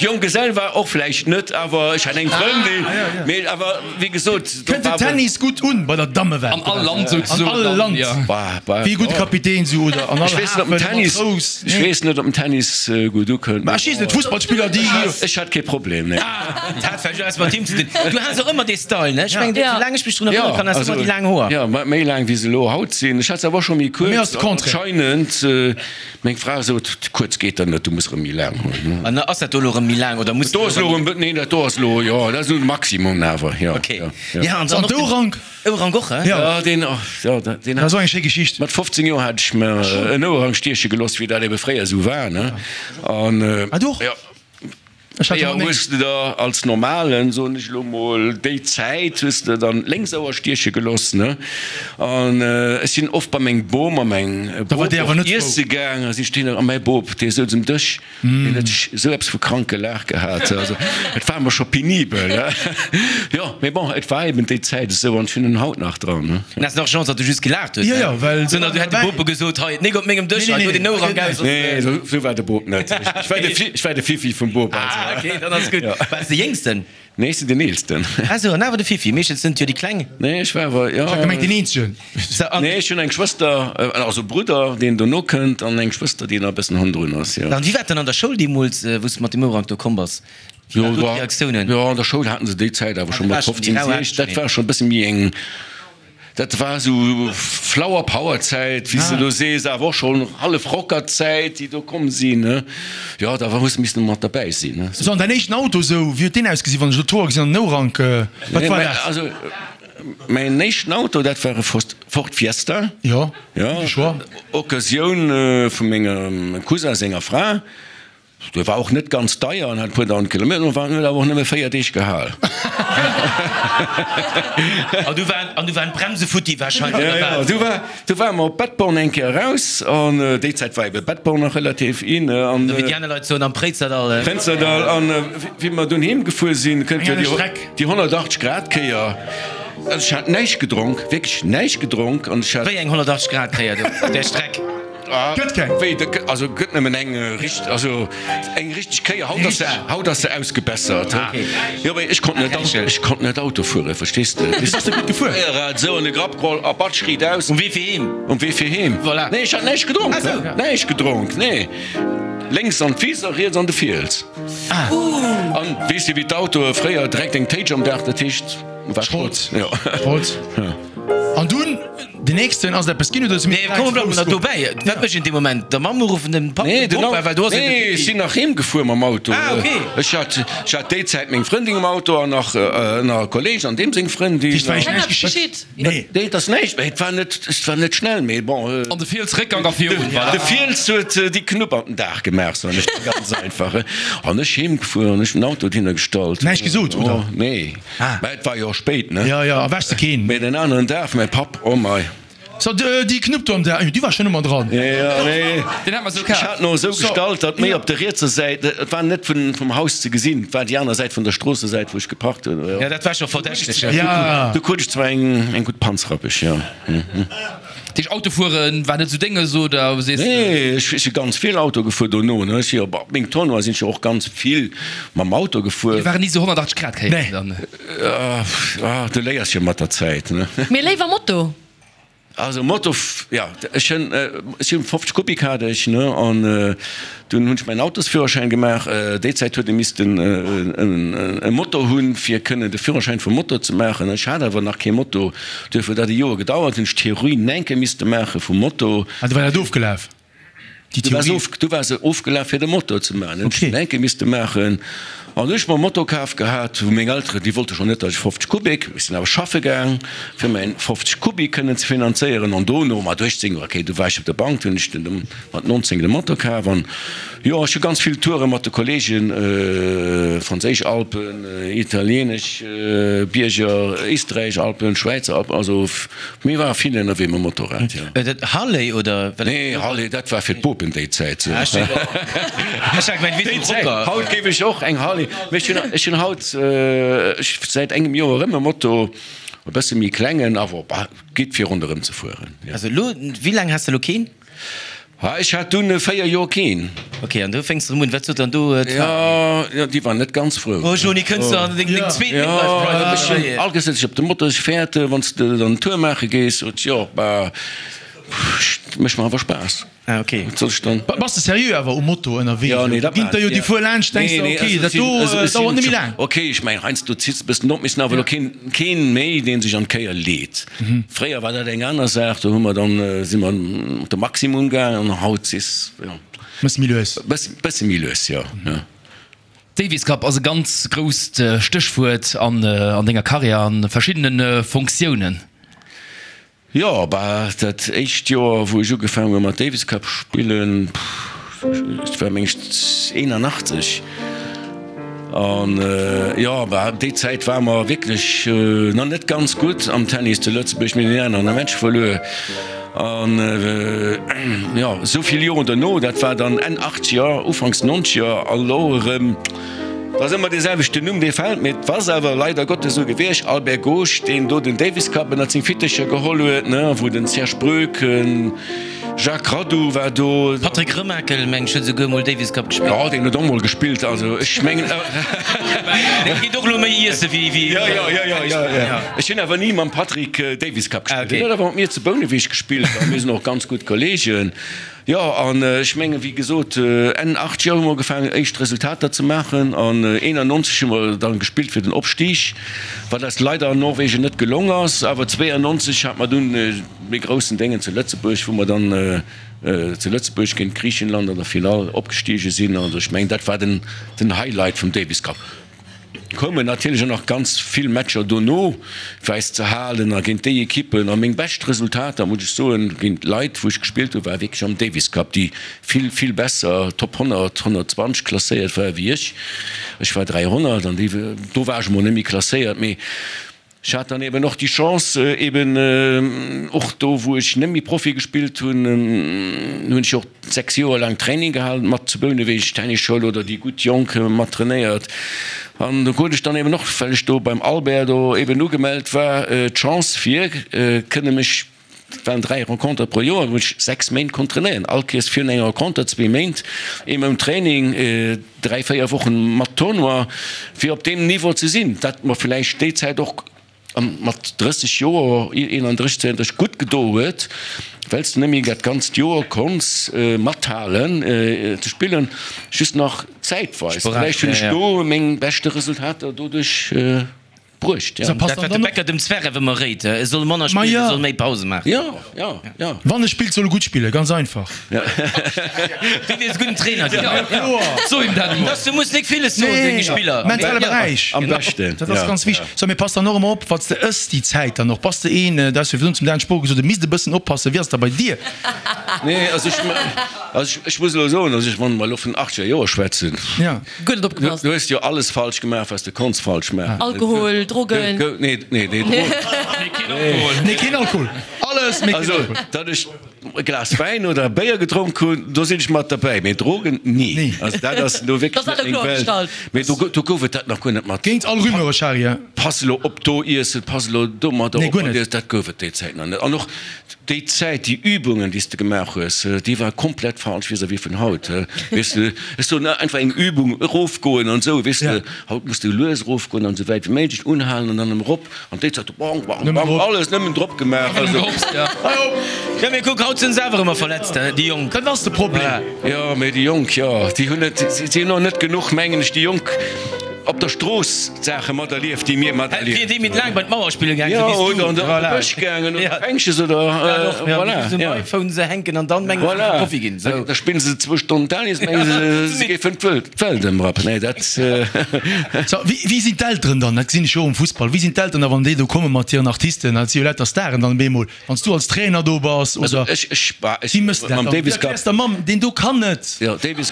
Jonggesell war och vläicht net, awer ech hat eng Frëndin. Mee awer wéi gesot, do Kënnt den war. Tennis gutt un bei der Dammewelt? An all Land souzesoen. An all Land. Bah, bah, Wéi e gudde Kapitän sou oder an all Ech weess net, ob den Hafen, Tennis, Matrous. ech weess net, ob den Tennis gutt ukënnt. Mä ech weess net, Fussballspiller déi. Ech hat kee Problem, nee. Dat hat vläicht och eppes mat him ze dinn. Du has och ëmmer dee Style, ne? Ech mengen, soulaang ech mech drun erënnere kann, has du ëmmer déi laang Hoer. Jo, méi laang wéi se elo haut sinn. Ech hat se awer och scho méi Bei mir ass kuerz. de Contraire. Anscheinend, meng Fra sot, kuerz geet der net, du muss erëm méi laang hunn. An ass dat do elo erëm méi laang oder muss Do ass elo erëm, nee, dat do ass elo, jo, dat ass elo de Maximum awer, jo. Ok. Jo, Ja, an dann An och den d'Ourank? Ourank och, he? Jo. Ja, deen, jo, deen Dat ass och eng schéi Geschicht. Mat fofzéng Joer hat ech mer en Ouerhang stieche gelooss, wéi dat ebe fréier esou war, ne? An, Ah, du och? jo. Ech hat Fréier ëmmer hues de der als Normalen, soen ech elo mol, déi Zäit hues de dann lénks Ouer stieche geloss, ne? An ech sinn oft bei meng Bom a meng Da war Bop déi awer och net frou. iesse gaang a si stinn a mäi Bop, dee souz um Dësch, deen huet sech esou eppes vu krank gelaach gehat. Also et war mer scho penibel, ne? Jo, mee bon, et war eben déi Zäit esou an ech hunn en haut nach dran, ne? An ass nach Chance, datt du just gelaacht hues, Jo, ne? jo, well Sondern du hätt de Bop gesot, hei, nik op mengem Dësch, Nee, hei nee, do den nee. Ourank aus. Nee, esou esou war de Bop net. Ech war de Fi, ech war de Fifi vum Bop. Ah, okay, dann ass gutt. Ja. Waars de Jéngsten? Nee, ech sinn den Eelsten. Ah sou, an awer de Fifi. Meeschtens sinn et jo déi Kleng. Nee, ech war awer, jo. Ech hat gemengt deen Eenzegen. Sou, an. Nee, ech hunn eng Schwëster, also e Brudder, deen dono kënnt, an eng Schwëster, déi nach e bëssen hannendrun ass, jo. An wéi war et dann an der Schoul deemools, wou s de mat dem Ourank do komm bass? Wéi waren do d'Reaktiounen? Jo, an der Schoul haten se déi Zäit awer scho mat fofzéng, siech, dat war scho e bësse méi eng. Dat war esou Flower Power Zäit, wéi s de elo sees, awer och schonn hallef Rocker Zäit, déi do komm sinn, ne. Jo, da hues de missen mat derbäi sinn, ne. So, an däin éischten Auto esou, wéi huet deen ausgesinn, wann ech elo d'Hoer gesinn an den Nourank, wat war dat? Also, mäin éischten Auto, dat war e Ford Fiesta. Jo, gudde Choix. Occasioun vu mengem Cousin senger Fra. Dee war och net ganz deier an hat e puer dausend Kilometer, an huet awer och nëmme véier Deeg gehal. An du waren, an du waren d'Bremse futti wahrscheinlech, oder wat? Jo, jo, du war, du ware mer op Bettborn eng Kéier eraus, an déi Zäit war ebe Bettborn nach relativ in, an. Wéi déi aner Leit soen, am Préizerdall. Préizerdall, an wéi mer dunn heem gefuer sinn, kënnt jo déi honnertachtzeg Grad Kéier. Also ech hat näischt gedronk, wierklech näischt gedronk, an ech hat. Wéi eng honnertachtzeg Grad Kéier do op där Streck? Gëtt keng. Wéi, da gëtt, also gëtt nëmmen eng richt, also eng richteg Kéier. Haut ass se, haut ass se ausgebessert. Ah, okay. Jo, mee ech konnt net, ech konnt net Auto fueren, verstees de? Wéi bass de gutt gefuer? Réierrad esou an de Grapp geholl a batsch, riit aus. Um Wee fir heem. Um Wee fir heem. Voilà. Nee, ech hat näischt gedronk. Ah sou. Näischt gedronk, nee. Lénks an d'Wiss a riets an de Fiels. Ah. An weess de wéi d'Autoe fréier, direkt eng Téitsch am Daach, dat heescht, war Schrott. Schrott. Jo. Schrott. An dunn den nächsten, ass et eppes ginn oder ass et Nee, komm, bleiwe mer dobäi. Wat mécht een dee Moment? Der Mamm uruffen, dem Papp, Nee, dem den Bopa, well do ass een Nee, ech sinn nach heem gefuer mam Auto. Ah, okay. Ech hat, ech hat déi Zäit meng Frëndin um Auto an nach, nach e Kolleg an deem seng Frëndin. War Keng näischt eppes geschitt? geschitt? Nee. Nee, et ass näischt, mee et war net, et war net schnell, mee bon. An de Fiels Réckgang a virun, voilà. De Fiels huet déi Knupp an den Daach gemaach, soen ech dir ganz einfach. An ech heem gefuer an ech den Auto dohinner gestallt. Näischt gesot, oder? Oh, nee. Mä et war jo och spéit, ne? Jo, jo, a wäschs de keen. Mee den aneren Dag, mäi Papp, oh mei. So, déi Knupp do am Dag, déi war schonn ëmmer dran. Jo, jo, nee. Deen hat mer sou Ech kaf. hat en och esou gestallt, datt méi op der rietser Säit, et war net vun, vum Haus ze gesinn, et war déi aner Säit vun der Stroossesäit, wou ech geparkt hunn. Jo, dat war scho verdächteg. Jo. Du krut ech zwar eng, eng gutt Panzrappech, jo. Dat heescht, Autofuere war net esou Dénges, oder sees de? Nee, ech si ganz vill Auto gefuer dono, ne. Ech si jo op meng Tournoie sinn ech jo och ganz vill mam Auto gefuer. Mir waren ni esou honnertachtzeg Grad Kéieren dann. Ah, du léiers jo mat der Zäit, ne. Mee léiwer Moto? Also Moto, jo, ech hunn, ech hunn fofzeg Kubik hat ech, ne, an dunn hunn ech mäin Autosführerschäin gemaach. Déi Zäit huet ee missten e Moto hunn, fir kënnen de Führerschäin vum Moto ze maachen. Ech hat awer nach kee Moto, duerfir huet dat e Joer gedauert, hunn ech d'Theorie enke misste maache vum Moto. Ah, du war dat ofgelaf? Déi Du war se Theorie? of, du war se ofgelaf fir de Moto ze maachen. Hunn ech Okay. den enke misste maachen. An hu ech mer e Moto kaf gehat, wou meng Elteren, déi wollte schonn net, datt ech fofzeg Kubik, ech sinn awer schaffe gaang, fir mäin fofzeg Kubik kënnen ze finanzéieren. An dono, mat uechtzéng, okay, du war ech op der Bank, du hunn ech den mat nonzéng de Moto kaf. An jo, ech hu ganz vill Toure mat de Kollegen, franséisch Alpen, italienesch Bierger, éisträichesch Alpen, Schwäizer Alpen, also mir ware vill ënnerwee mam Motorrad, jo. Dat Harley oder? Nee, Harley, dat war fir d'Bopen déi Zäit. Ah, ech hat gemengt, wéi Déi den Zäit. Rocker. Haut géif ech och eng Harley, mee ech hunn, ech hunn haut, ech säit engem Joer erëm e Moto, e bësse méi klengen, awer bah, geet fir ronderëm ze fueren, jo. Also elo, wéi laang has de elo keen? Ha, ech hat dunn véier Joer keen. Ok, an do fänks de erëm un. Wat sot dann do d'Fra? Jo, jo, déi war net ganz frou. Oh Joni, kënns de an deng zweet Midlife Crisis? Jo, ech hunn all gesot, ech op de Moto, ech fäerte wann s de dann en Tour maache gees, sot jo, bah, mécht mer awer Spaass. Ah, ok. Wat soll ech dann? Bass de seriö awer um Moto ënnerwee? Jo, nee, dat Ginn der jo déi fuer laanscht, denks de, ok, dat do dauert net méi laang. Ok, ech mengen, heiansdo zitt e bëssen op, mee sinn awer elo keen, keen méi, dee sech an d'Kéier leet. Fréier war dat eng aner Saach, do hu mer dann, si mer op de Maximum gaangen an haut si, jo. Bësse méi lues. Bësse méi lues, jo, jo. Davis Cup ass e ganz grousst Stéchwuert an denger Karriär an verschiddene Fonctiounen. Jo, bah, dat éischt Joer, wou ech ugefaangen hu mat Davis Cup spillen, et war meng ech eenanachtzeg, an jo, bah, déi Zäit ware mer wierklech nach net ganz gutt am Tennis zu Lëtzebuerg, mir hunn deen aneren Match verluer. An jo, esou vill Joren dono, dat war dann Enn Achtzeger, Ufanks Nonzeger, a lo erëm, Et ass ëmmer dee selwechten Numm, dee fält, mee et ass awer leider Gottes esou gewiescht, Albert Gosch, deen do den Davis Cup ënnert seng Fittecher geholl huet, ne, wou den Serge Breuck, Jacques Radou war do. Patrick Remakel, meng ech, huet esouguer mol Davis Cup gespillt. Jo, deen huet och mol gespillt, also ech mengen. Dee geet och elo méi iesse wéi. Jo, jo, jo, jo, jo, jo. Ech hunn awer ni mam Patrick Davis Cup gespillt. Deen huet awer mat mir zu Bouneweg gespillt a mir sinn och ganz gutt Kollegen. Jo, an ech mengen, wéi gesot, Enn Achtzeger hu mer ugefaangen, éischt Resultater ze maachen an eenannonzeg hu mer dann gespillt fir den Opstig, wat eis leider an Norwegen net gelong ass. Awer zweeannonzeg hat mer dunn dee groussen Déngen zu Lëtzebuerg, wou mer dann zu Lëtzebuerg géint Griichenland an der Finall opgestiege sinn. Also ech mengen, dat war den Highlight vum Davis Cup. Koumen natierlech och nach ganz vill Matcher dono fir eis ze halen a géint déi Ekippen. A meng bescht Resultater, muss ech soen, géint Leit wou ech gespillt hu war wierklech am Davis Cup, déi vill, vill besser, Top honnert, honnertzwanzeg klasséiert ware wéi ech. Ech war dräihonnert an déi, do war ech emol net méi klasséiert, mee Ech hat dann eben och déi Chance, eben och do wou ech net méi Profi gespillt hunn, hunn ech och sechs Joer laang Training gehalen mat zu Bouneweg, Tennisschoul oder déi gutt Jonk mat trainéiert. An do krut ech dann eben och, well ech do beim Albert do eben ugemellt war, d'Chance fir kënne mech, Et waren dräi Rencontere pro Joer, wou ech sechs Méint konnt trainéieren. All Kees virun enger Renconter zwee Méint, ee Mount Training, dräi, véier Wochen mat Tournoi, fir op deem Niveau ze sinn, wat mer villäicht déi Zäit och mat drësseg Joer, eenandrësseg, zweeandrësseg, gutt gedo huet, well s de net méi dat ganzt Joer konns mathalen ze spillen, just nach zäitweis. Villäicht hunn ech do meng beschte Resultater doduerch. Bruecht, ja. Dat wat de Becker dem Zverev ëmmer réit, e soll manner spillen, e soll méi Pause maachen. Jo, jo, jo. Wann e spillt, soll e gutt spillen, ganz einfach. Du wiers e gudden Trainer ginn. Kloer. So him dat emol. Dass du muss nik villes soen denge Spiller. Mentale Beräich. Am beschten. Dat ass ganz wichteg. So, mee pass dann och ëmmer op, wat s de ëss déi Zäit dann och. Bass de een, dat hues du virdrun zum Dan Spohr gesot, e misst e bëssen oppassen. Wéi ass et da bei dir? Nee, also ech, also ech muss elo soen, also ech, wann mer elo vun achtzeger Joer schwätzen. Ja. Guer net opgepasst. Du hues jo alles falsch gemaach, was de konns falsch maachen. Alkohol, Drogen. Nee, nee, nee, Drogen. Nee, keen Alkohol. Alles, mee keen Also, Alkohol. datt ech e Glas Wäin oder e Béier gedronk hunn, do sinn ech mat derbäi, mee Drogen, ni. Nee. Also dat ass elo wierklech Dat net ass meng kloer Welt. gestallt. Mee do, do gouf et dat nach guer net mat. Géint all Rumeure, Shari, ja. Pass elo op do iessen, pass elo domadder Nee, op guer mat net. iessen, dat gouf et déi Zäit nach net. An och Déi Zäit, déi Übungen, déi s de gemaach hues, déi war komplett falsch vis-à-vis vun haut. Weess de, ech soen einfach eng Übung, erofgoen an esou, weess de. Haut muss de lues erofgoen an esou wäit wéi méiglech unhalen an dann erëm erop. An déi Zäit, bang, bang, bang, alles nëmmen drop gemaach. Also. Jo, mee kuck, haut sinn se awer ëmmer verletzt, déi Jonk. Dat ass de Problem. Jo, mee déi Jonk, jo, déi hunn net, si hunn och net genuch, mengen ech, déi Jonk. Op der Strooss d'Saache materlieft, déi mir materlieft hunn. Wier déi méi laang bei d'Mauer spille gaangen, Jo, sou wéi s du. oder an de Bësch gaangen oder Fänkches oder voilà. Voilà. Um iPhone se hänken an dann mengen se, se Profi ginn. Voilà. Da spillen se zwou Stonnen Tennis, mengen se, se géifen d'Welt ëmrappen. Nee, dat. So, wéi, wéi sinn d'Elteren dann? Dat gesinn ech jo och um Fussball. Wéi sinn d'Elteren da, wann déi do komme mat hiren Artisten? Dat si jo lauter Staren dann op eemol. Wann s du als Trainer do bass oder. Also ech, ech war, ech, Wéi mëss de dat mam dann? Davis Du Cup. erkläers der Mamm, deen do kann net. Jo, Davis,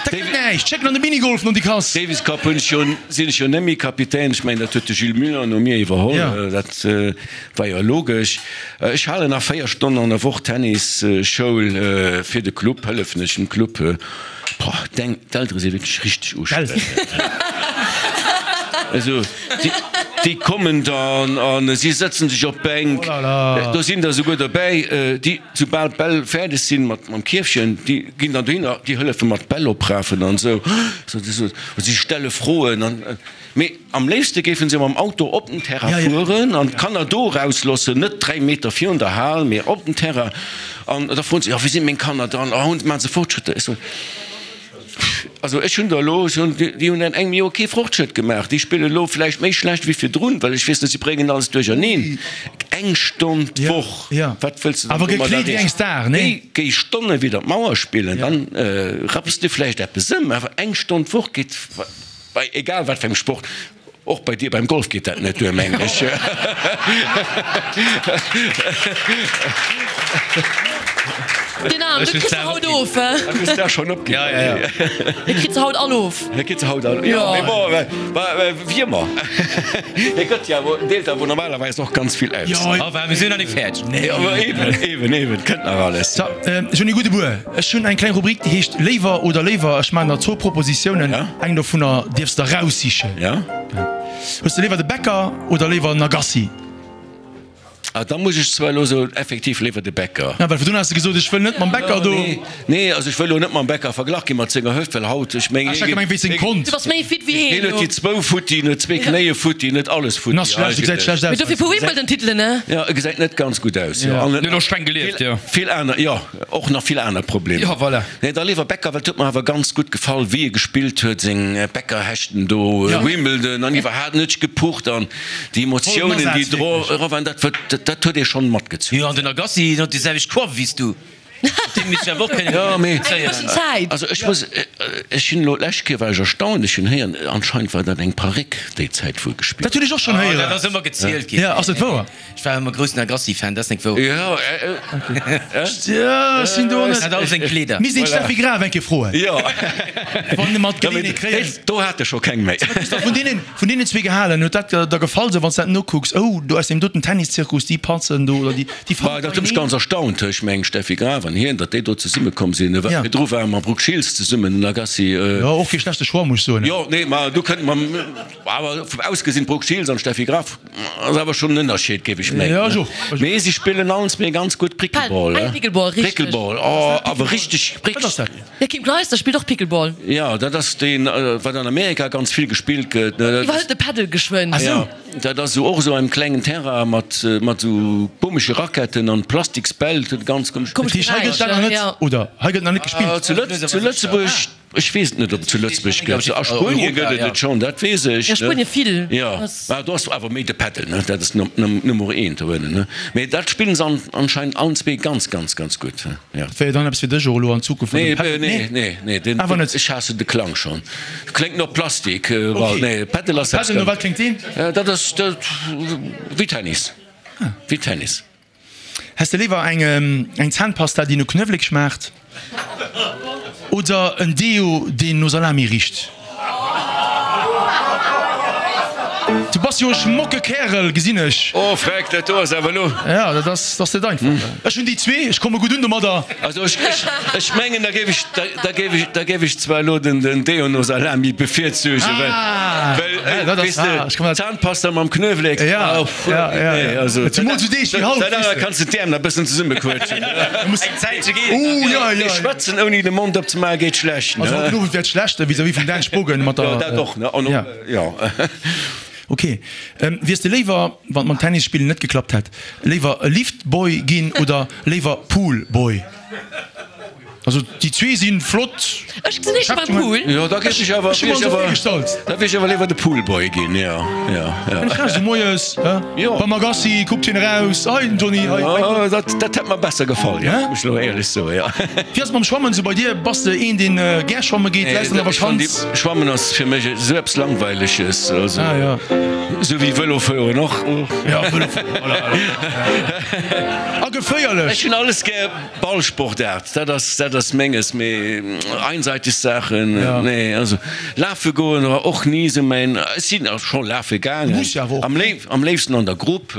Dat gëtt näischt. Schéck en an de Minigolf no déi Kass. Davis Cup hunn ech jo, sinn ech jo net méi Kapitän. Ech mengen, dat huet de Gilles Muller no mir iwwerholl. Ja. Dat war jo logesch. Ech halen nach véier Stonnen an der Woch Tennisschoul fir de Club, hëllefen ech dem Club. Boah, deng, d'Eltere si wierklech richteg ustrengend. Also, déi, déi kommen dann a si sëtzen sech op d'Bänk. Oh là là. Do sinn der esouguer dobäi, déi, soubal d'Bäll fäerdeg sinn mat, mam Kierfchen, déi ginn dann dohinner, déi hëllefe mat d'Bäll oprafen an esou. Si stelle Froen an, mee am léifste géife se mam Auto op den Terrain fueren an d'Kanner do erausloossen, net dräi Meter virun der Hal, mee op den Terrain. An da froen se, jo, wéi sinn meng Kanner dann? Oh, maache se Fortschrëtter? Ech soen, Also ech hunn der elo, ech hunn, déi hunn an engem Joer kee Fortschrëtt gemaach. Déi spillen elo vläicht méi schlecht wéi virdrun, well ech weess net, si bréngen alles duercherneen. Eng Stonn d'Woch, wat wëlls de dann Awer domadder gekleet wéi eng erreechen? Star, nee? Géi, géi Stonne widder d'Mauer spillen, dann rapps de vläicht eppes ëm. Awer eng Stonn d'Woch geet bei egal wat fir engem Sport. Och bei dir beim Golf geet dat net duer, mengen ech. Den Arm, du kriss se haut of, he? Du hues der schonn opginn. Ja, ja, ja. Hie kritt se haut all of. Hie kritt se haut all, jo. Mee bon, wéi ëmmer. Hie gëtt jo awer, deelt awer normalerweis och ganz vill aus. Jo. Enfin, mir sinn nach net fäerdeg. Nee, awer eben, eben, eben, et kënnt nach alles. So, ech hunn ee gudde Buer. Ech hunn eng kleng Rubrik, déi heescht Léiwer oder léiwer. Ech maachen der zwou Propositiounen. Eng dovunner dierfs de eraussichen. Ja. Hues de léiwer de Becker oder léiwer den Agassi? Ah, da muss ech zwar elo soen, effektiv léiwer de Becker. Ja, well virdrun has de gesot, ech wëll net mam Becker do. Nee, nee, also ech wëll elo net mam Becker verglach gi mat senger Hëft, well haut, ech mengen, Ech hat gemengt wéinst sengem Kont. Du bass méi fit wéi heen hien huet elo. déi zwou futti, en huet zwee Knéie futti, en huet alles En futti ass schlecht, e gesäit eigentlech. schlecht Mee aus. dofir puer Wimbledon-Titelen, ne? Ja, e gesäit net ganz gutt aus, jo. An En huet och streng gelieft, jo. vill aner, jo, och nach vill aner Problemer. Jo, voilà. Nee, da léiwer Becker, well et huet mer awer ganz gutt gefall, wéi e gespillt huet, seng Becker-Hechten do, Wimbledon an iwwerhaapt, en huet sech gepucht an déi Emotiounen, déi dro era waren, dat huet, dat huet ee schonn matgezunn. Jo, an den Agassi, deen huet déi selwecht Coiffe wéi s du. Mat deem misst ech awer och kënnen Jo, mee. Eng bëssen Zäit. Also ech muss, ech hunn elo d'lescht Kéier war ech erstaunt, ech hunn héieren, anscheinend war dat eng Paréck déi Zäit wou e gespillt Dat hunn ech och schonn Oh, dat héieren. ass ëmmer gezielt ginn. Ja, ass dat wouer? Ech war ëmmer groussen Agassi-Fan, dat ass nek wouer. Jo, Ja, ech sinn do Dat net. hat all seng Kleeder. Misst een d'Steffi Graf eng Kéier froen. jo. Wann e mat Geleeënheet kréien. Do hat e scho keng méi. Wat hues de vun deenen, vun deenen zwee gehalen? Huet dat der gefall, sou wann s de dat nokucks, oh, do aus deem doten Tenniszirkus, déi patzen do oder déi, déi Bah, fannen dat huet mech ganz erstaunt, ech mengen Steffi Graf an hien, datt déi do zesumme komm sinn. Ja. Virdru war e mam Brooke Shields zesummen, den Agassi. Jo, och kee schlechte Choix, muss ech soen. Jo, nee, ma do kënnt mam, awer vum Ausgesinn, Brooke Shields an Steffi Graf ass awer schonn en Ënnerscheed, géif ech mengen. Ja, jo. Mee si spillen allen zwee ganz gutt Prickleball. Pal, Pickleball, richteg. Prickleball, oh, awer richteg, Wat ass dat? Ja, Kim Clijsters spillt och Pickleball. Ja, dat ass deen, wat an Amerika ganz vill gespillt gëtt. Iwwerhëlt de Paddle geschwënn. Ah, sou. Ja, dat ass sou och esou engem klengen Terrain mat mat sou komesche Raquetten an Plastiksbäll, dat ganz komesch. Komesch Dat heescht, hei gëtt dat nach net, oder? Hei gëtt nach net gespillt? Zu Lëtz, zu Lëtzebuerg, ech weess et net, ob et zu Lëtzebuerg gëtt. A Spuenie gëtt et et schonn, dat weess ech. Ja, Spuenie vill. Jo, mä do ass awer méi de Paddle, ne, dat ass Nummer eent dohinne, ne. Mee dat spillen se anscheinend allen zwee ganz, ganz, ganz gutt, jo. Dat wär jo dann eppes fir dech och elo an Zukunft, wann de Paddle, Nee, nee, nee, nee, Awer net? ech haassen de Klang schonn. Kléngt no Plastik, well nee, Paddle ass eppes Paddle, no ganz. wat kléngt deen? Dat ass dat wéi Tennis, wéi Tennis. Häss de léiwer eng eng Zahnpasta déi no Knuewelek schmaacht oder en Deo deen no Salami richt? Du bass jo e schmocke Kärel, gesinn ech. Oh freck, dat do ass awer elo. Ja, dat ass, dat ass net einfach. Ech hunn déi zwee, ech komme gutt un domadder. Also ech, ech, ech mengen, da géif ech, da, da géif ech, da géif ech zwar elo den, den Deo no Salami bevirzügen, well, Ah, well, ja, dat ass, weess de, ah, ech komme dat. Zahnpasta mam Knuewelek, Ja, oh, pff, ja, ja, nee, ja. also. Zemools esou Deeg wéi haut, Dat weess aner de. kanns de d'Äerm nach e bëssen zesummequëtschen. Eng Zäitche geet et Oh, nach, ja, Nee, ja, ja. schwätzen ouni de Mond opzemaachen geet schlecht, Also ne? haut den Owend wär et schlecht vis-à-vis vum Dan Spogen mat der. Jo, dat och, ne? An och, Ja. ja. Ok. Wiers de léiwer, wann et mam Tennisspillen net geklappt hätt, léiwer e Liftboy ginn oder léiwer Poolboy? Also déi zwee si flott Ech gesinn éischter beim Pool. Jo, da géif ech awer, Ech hu mer wier ech esou awer, virgestallt. da wier ech awer léiwer de Poolboy ginn, jo, jo, jo. Ech raus moies, hä? Jo. Beim Agassi kuckt hien eraus, hei den Johnny, hei. Oh, dat, dat hätt mer besser gefall, jo, Hä? muss ech elo éierlech soen, jo. Wéi ass et mam Schwammen esou bei dir? Bass de een deen gär schwamme geet, läis an der Ech fannen déi, Vakanz? Schwammen ass fir mech esou eppes Langweileges, also Ah, jo. esou wéi Vëlofueren och. Ja, Vëlofueren, voilà, voilà. A geféierlech. Ech hunn alles gär Ballsportaart, dat ass, dat ass menges, mee einseitig Saachen, Ja. nee, also lafe goen war och ni esou mäin, ech sinn och scho lafe gaangen, Muss jo awer och. am léif, am léifsten an der Grupp,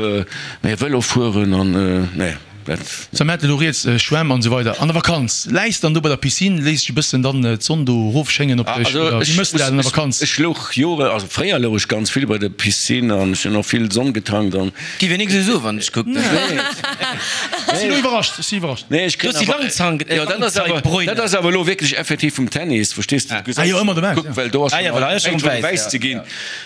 mee Vëlo fueren an, nee, dat. Sou, mir haten elo rieds, Schwämm an esou weider. An der Vakanz, läis dann do bei der Piscine, léiss dech e bëssen dann d'Sonn do erofschéngen op dech, Also oder wéi ech méchs de dat an der muss, Vakanz? ech louch Jore, also fréier louch ech ganz vill bei der Piscine an ech hunn och vill Sonn getankt an. Giff een nix esou soen, wann ech kucken. Ech sinn elo iwwerrascht, ech sinn iwwerrascht. Nee, ech Du kréien hues déi awer, Langzang, jo, dat ass awer, Langzeitbräune. dat ass awer elo wierklech effektiv vum Tennis, verstees de? Du Ah jo, ëmmer dobäi, Kuck, ja. well do ass Ah ja, well hei ass fänkt schon schon wäiss, wäiss ja. ze ginn.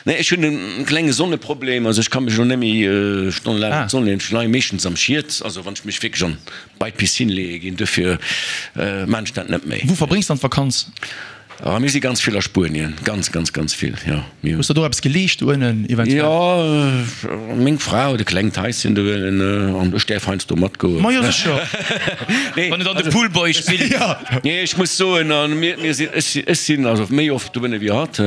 Nee, ech hunn e klenge Sonneproblem, also ech ka mech elo net méi stonnelaang Ah. an d'Sonn leeën. Ech leie meeschtens am Schiet, also wann ech mech wierklech an bei d'Piscine leeë ginn, duerfir maan ech dat net méi. Wou verbréngs dann d'Vakanz? Ah, mir si ganz vill a Spuenien, ganz, ganz, ganz vill, jo. Mir Hues der do eppes geleescht do ënnen eventuell? Jo, meng Fra huet e klengt Haischen do ënnen an ech däerf heiansdo matgoen. Ma jo, sécher. Nee, Wann et an de Poolboy spillt. Jo. Nee, ech muss soen, an mir, mir sinn, ech si, ech sinn also méi oft do ënne wéi hatt.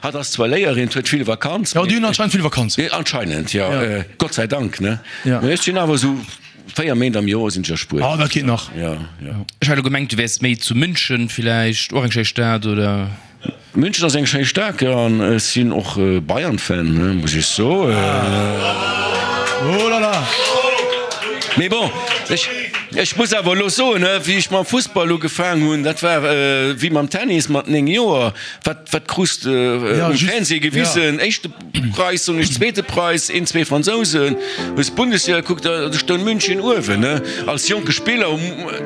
Hatt ass zwar Léierin, huet vill Vakanz. Jo, déi hunn anscheinend vill Vakanz. Anscheinend, jo. Gott sei Dank, ne? Ja. Mee ech sinn awer esou Véier Méint am Joer sinn ech a Spuenien. Ah, dat geet nach. Ja, ja. Ech hat elo gemengt, du wäers méi zu München villäicht, och eng schéi Stad, oder? München ass eng schéi Stad, jo, an ech sinn och Bayern-Fan, ne, muss ech soen. Oh là là! Mee bon, ech, Ech muss awer elo soen, wéi ech mam Fussball ugefaang hunn, dat war wéi mam Tennis mat néng Joer, wat wat krus de um Fernseh gewisen? Éischte Preis, soen ech, zweete Preis, een, zwee Fransousen. Hues d'Bundesliga gekuckt, do stoung München uewen. Als jonke Spiller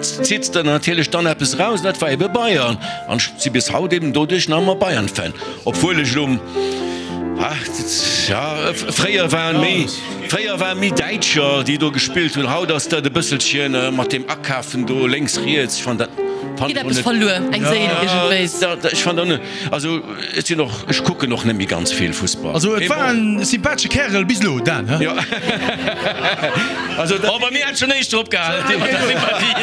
zitt de natierlech dann eppes eraus, an dat war ebe Bayern. An ech si bis haut eben doduerch nach ëmmer Bayern-Fan, obwuel ech elo, jo, fréier waren méi, fréier waren méi Däitscher, déi do gespillt hunn. Haut ass dat e bësselchen mat deem Akafen do lénks, riets. Ech fannen dat, Geet eppes verluer, eng Séil iergendwéis. Ech fannen dat net. Also ech sinn och, ech kucken och net méi ganz vill Fussball. Also et war en sympathesche Kärel bis elo, Dan, he? Jo. Also dat. Oh, bei mir hätt schonn éischter opgehalen mat der Sympathie.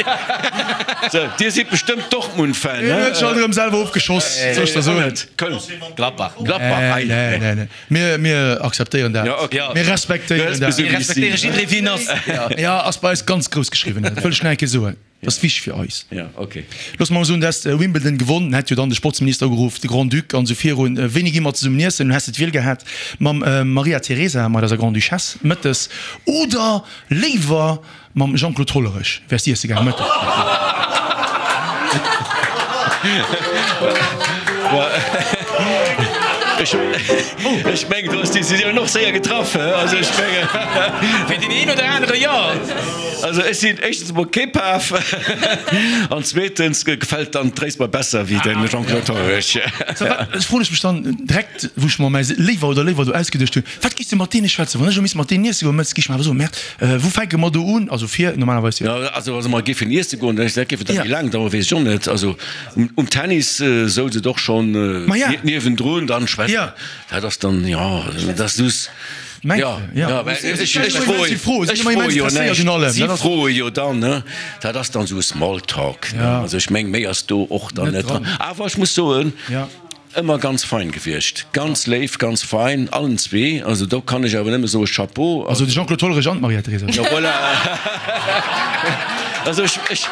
Sou, Dir sidd bestëmmt Dortmund-Fan, he? Hien huet sech alt erëm selwer ofgeschoss, soll ech der soen. Köln. Gladbach. Gladbach, ei. Nee, nee, nee. Mir, mir akzeptéieren dat. Ja, okay. Mir respektéieren dat. Mir respektéiere jidderee wéi en ass. Ja, ass bei eis ganz grouss geschriwwen, dat wëll ech nach eng Kéier soen. Dat ass wichteg fir eis. Ja, okay. Looss mer mol soen, du häss Wimbledon gewonn, hätt jo dann de Sportsminister ugeruff, de Grand-Duc an esou virun. Wéini gi mer zesummen iessen? Häss de d'Wiel gehat mam Maria Teresa, mat eiser Grande-Duchesse, mëttes oder léiwer mam Jean-Claude Hollerech wäers de iesse gaangen mëttes? Ech mengen, do ass d'Decisioun och séier getraff. Also ech mengen. Fir deen een oder anere jo. Also ech sinn éischtens emol kee Paf an zweetens gefält dann d'Tréis mer besser wéi de Jean-Claude Hollerich. Ech froen ech mech dann direkt, wou ech mer mäi Léiwer oder Léiwer do ausgeduecht hunn, Wat giss de mat deene schwätzen? Wann ech elo misst mat deenen iesse goen, mëttes, giff ech mer awer soen, Merde, wou fänke mer do un? Also fir normalerweis jo. Jo, also wa mer géifen iesse goen, dat géif et da méi laang daueren, weess ech och net. Also um Tennis souz et och schonn niewendrun, dann schwätzen, dat ass dann, jo, dat ass just, jo, jo, ech froe jo näischt, si froe jo dann, ne, dat ass dann esou Smalltalk, ne, also ech meng, méi ass do och dann net dran. Awer ech muss soen, Ëmmer ganz fein gewiescht, ganz léif, ganz fein, allen zwee, also do kann ech awer nëmme soe Chapeau. Also de Jean-Claude Hollerich an d'Maria-Theresa. Jo voilà. Also ech, ech,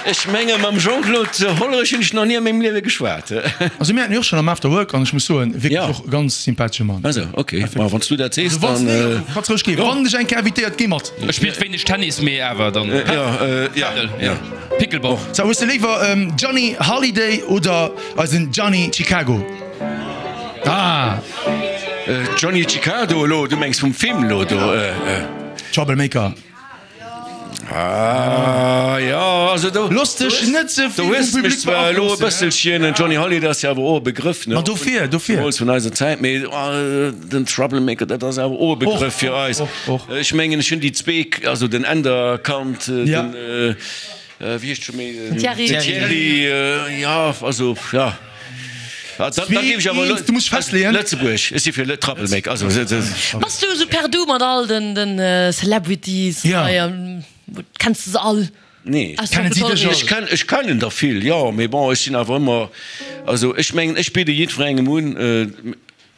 ech menge mam Jean-Claude Hollerich hunn ech nach ni a mengem Liewe geschwat. Also mir haten jo och schonn am After Work an ech muss soen, wierklech och e ganz sympathesche Mann. Also ok, ma wann s du dat sees, Also wann s dann. nee, kanns roueg ginn. Wann dech eng Kéier invitéiert, géi mat. E spillt wéineg Tennis, mee awer dann Padel, jo. Pickleball. So, hues de léiwer Johnny Hallyday oder eisen Johnny Chicago? Ah! Johnny Chicago elo, du mengs vum Film elo do? Troublemaker. Ah jo, also do. Looss dech net ze vill vum Public beaflossen. Zwar elo e bësselchen, den Johnny Hallyday ass jo awer och e Begrëff, ne? Ma dofir, dofir. Zemools vun eiser Zäit, mee den Troublemaker, dat ass awer och e Begrëff fir eis. Ech mengen, ech hunn déi zwee, also den Änder kannt, den. Wéi heescht scho méi? Den Thierry. Den Thierry, jo, also, jo. Da géif ech awer elo. Du muss festleeën. Lëtzebuerg, ech si fir Lë Troublemaker, also. Bass du esou per du mat all den Celebrities hei? Kenns de se all? Nee. Kennen si dech och? Ech kennen der vill, jo, mee bon, ech sinn awer ëmmer, also ech mengen, ech bidde jiddwerengem un,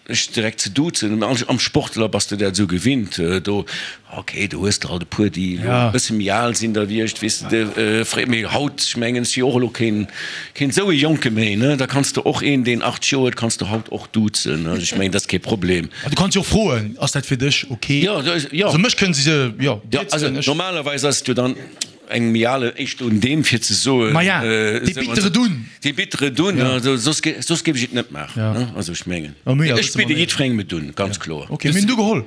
Ech direkt ze duzen, am Sportler bass de dat esou gewinnt, do, ok, do hues de alt e puer, déi elo e bësse méi al sinn da wéi ech, weess de, fréier, mee haut, ech mengen, ech si och elo keen, keen esou e Jonke méi, ne, da kanns de och een, deen achtzeg Joer huet, kanns de haut och duzen, also ech mengen, dat ass kee Problem. Du kanns jo och froen, ass dat fir dech ok? Jo, jo. Also mech kënnen se, jo, Jo, also normalerweis ass et jo dann. Engem méi ale éischt un deem fir ze soen. Maja, dee bittere Dunn. Dee bittere Dunn, also soss soss géif ech et net maachen, also ech mengen, ech bidde jiddwerengem et un, ganz kloer. Ok, mir hunn du geholl.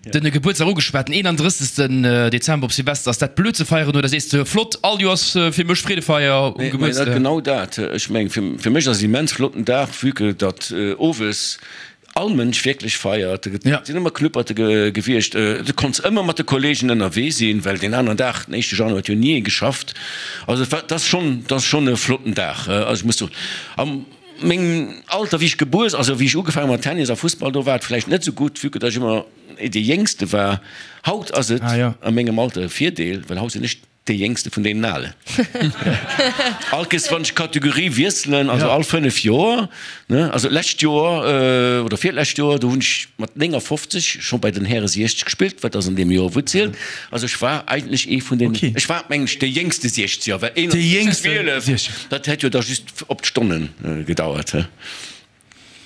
De Gebuertsdag ugeschwat, den eenanddrëssegsten Dezember op Silvester, ass dat blöd ze feieren oder sees de, flott, all Joers fir mech Freedefeier um Gebuertsdag? Genau dat, ech mengen, fir mech ass et immens flotten Dag, vue que datt owes all Mënsch wierklech feiert. Et sinn ëmmer Knupperte gewiescht. Du konns ëmmer mat de Kolleegen ënnerwee sinn, well deen aneren Dag, den éischte Januar, huet jo ni ee geschafft. Also et war, dat ass schonn, dat ass schonn e flotten Dag. Also ech muss soen, a mengem Alter, wéi ech gebuer, also wéi ech ugefaangen hu mat Tennis a Fussball, do war et vläicht net esou gutt, vue que datt ech ëmmer dee Jéngste war. Haut ass et a mengem Alter e Virdeel, well haut sinn ech Dee jéngste vun deenen Alen. All Kees wann ech d'Kategorie wiesselen, also all fënnef Joer, ne, also d'lescht Joer oder virlescht Joer, do hunn ech mat néngafofzeg scho bei den Häre siechzeg gespillt, wat ass an deem Joer wou zielt. Also ech war eigentlech ee vun den, ech war mengen ech dee jéngste Siechzeger, well een zwielef, dat hätt jo da just op d'Stonnen gedauert.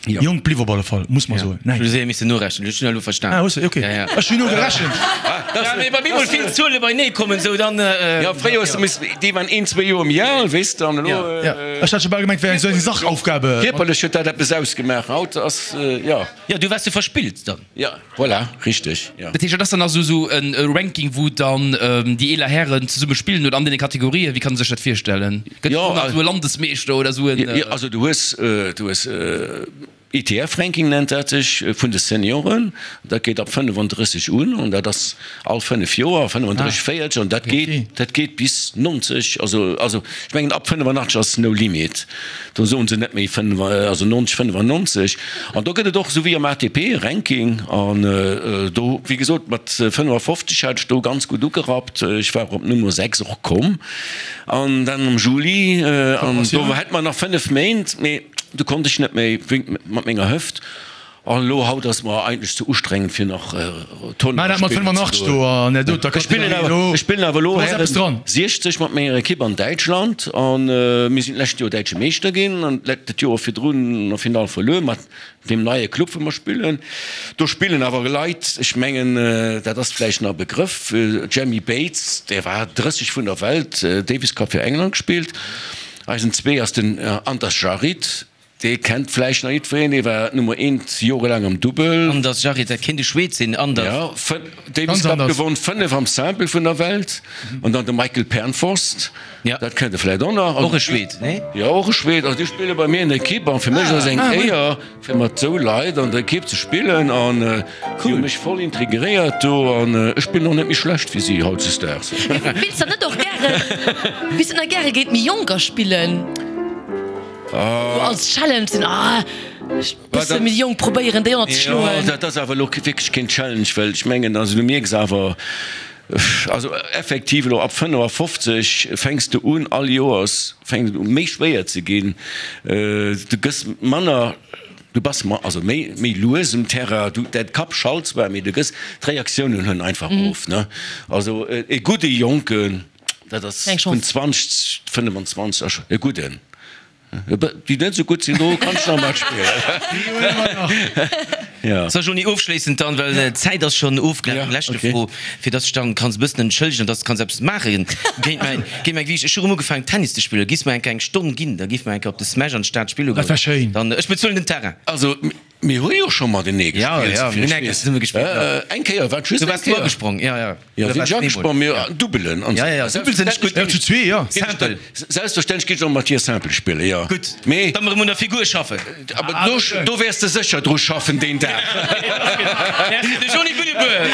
Jonk bliww op alle Fall, muss mer soen. Ech hu séier missen norechnen, ech hunn elo verstan. Ah, hues de, ok. Ech hunn nogerechent. Ja, mee wa bemol vill Zuele beinee kommen, sou dann. Jo, fréier hues de missen, déi waren een, zwee Joer méi al, weess de, an elo. Ja, ech hat scho bal gemengt, wär eng sou eng Sachaufgabe. Kierperlech huet dat eppes ausgemaach, haut ass, jo. Jo, du waars sou verspillt dann. Ja, voilà, richteg, jo. Dat heescht, dat ass dann also esou e Ranking, wou dann déi eeler Hären zesumme spillen oder an deene Kategorien? Wéi kann ee sech dat virstellen? Gëtt et och nach esou e Landesmeeschter oder esou en. Jo, also du hues, du hues I T F-Ranking nennt dat sech, vun de Senioren. Dat geet ab fënnefandrësseg un an dat ass all fënnef Joer, fënnefandrësseg, véierzeg an dat geet, dat geet bis nonzeg. Also, also ech mengen ab fënnefanachteg ass no limit. Do soen se net méi fënnef, also nonzeg, fënnefannonzeg. An do gëtt et och, esou wéi am A T P, e Ranking. An do, wéi gesot, mat fënnefafofzeg hat ech do ganz gutt ugerappt. Ech war op Nummer sechs och komm. An dann am Juli, an do hätt mer nach fënnef Méint, mee do konnt ech net méi mat menger Hëft. An elo haut ass mer eigentlech ze ustrengend fir nach Tournoie spillen ze goen. Ech spillen awer, ech spillen awer elo Hären siechzeg mat menger Ekipp an Däitschland an mir sinn d'lescht Joer däitsche Meeschter ginn an dat Joer virdrun an der Finall verluer mat deem neie Club wou mer spillen. Do spillen awer Leit, ech mengen dat ass vläicht nach e Begrëff, Jamie Bates, dee war drësseg vun der Welt, Davis Cup fir England gespillt. Eisen zwee ass den Anders Jarid. Dee kennt vläicht nach jiddwereen, dee war d'Nummer eent jorelaang am Dubbel. Anders Jarid, dat kéint e Schweed sinn, Anders. Jo, Davis Cup gewonn, fënnef am Simple vun der Welt. An dann de Michael Pernfors, dat kennt Der vläicht och nach. Och e Schweed, nee? Jo, och e Schweed. Also déi spille bei mir an der Ekipp an fir mech ass et eng Éier, fir mat esou Leit an der Ekipp ze spillen. An déi hu mech voll integréiert do an ech spillen och net méi schlecht wéi si hautzesdaags. Wéilts der net och gären, wéilts der net gäre géint méi Jonker spillen? Als Challenge sinn, ah, ech bësse méi jonk probéieren déi ënner ze schloen. Jo, dat ass awer elo wierklech keen Challenge, well ech mengen, also du mierks awer, also effektiv elo ab fënnefafofzeg fänks de un, all Joers fänkt et u méi schwéier ze ginn, du gëss manner, du bass also méi méi lues um Terrain, du, däin Kapp schalt zwar, mee du gëss, d'Reaktiounen huelen einfach of, ne. Also e gudde Jonken, dat ass vun zwanzeg, fënnefenzwanzeg, e gudden. Déi net esou gutt sinn, do kanns de nach matspillen. So Jeanny, ofschléissend dann, well d'Zäit ass schonn ofgelaf, eng leschte Fro, fir dass de dech dann kanns e bëssen entschëllegen an dass de kanns eppes maache géint mäin, géint mäi Gewiicht. Ech hu rëm ugefaangen Tennis ze spillen. Giss mer eng Kéier eng Stonn ginn, da géife mer eng Kéier op de Smash an d'Stad spille goen. Dat wär schéin. Dann, ech bezuelen den Terrain. Also mir hu jo scho matenee gespillt, souvill mir hunn eng Kéier zesumme gespillt, jo. Eng Kéier, wat just eng Kéier? Du waars du agesprong, jo, jo. Jo, sinn ech agesprong, mee Dubbelen an Ja, ja, Dubbel sinn ech gutt. Jo, zu zwee, jo. Simple. Selbstverständlech géif ech och mat dir Simple spillen, jo. Gutt, Mee. da mer erëm un der Figur schaffen. Awer do, do wäers de sécher dru schaffen deen Dag. Merci, de Jeanny Bunneboer.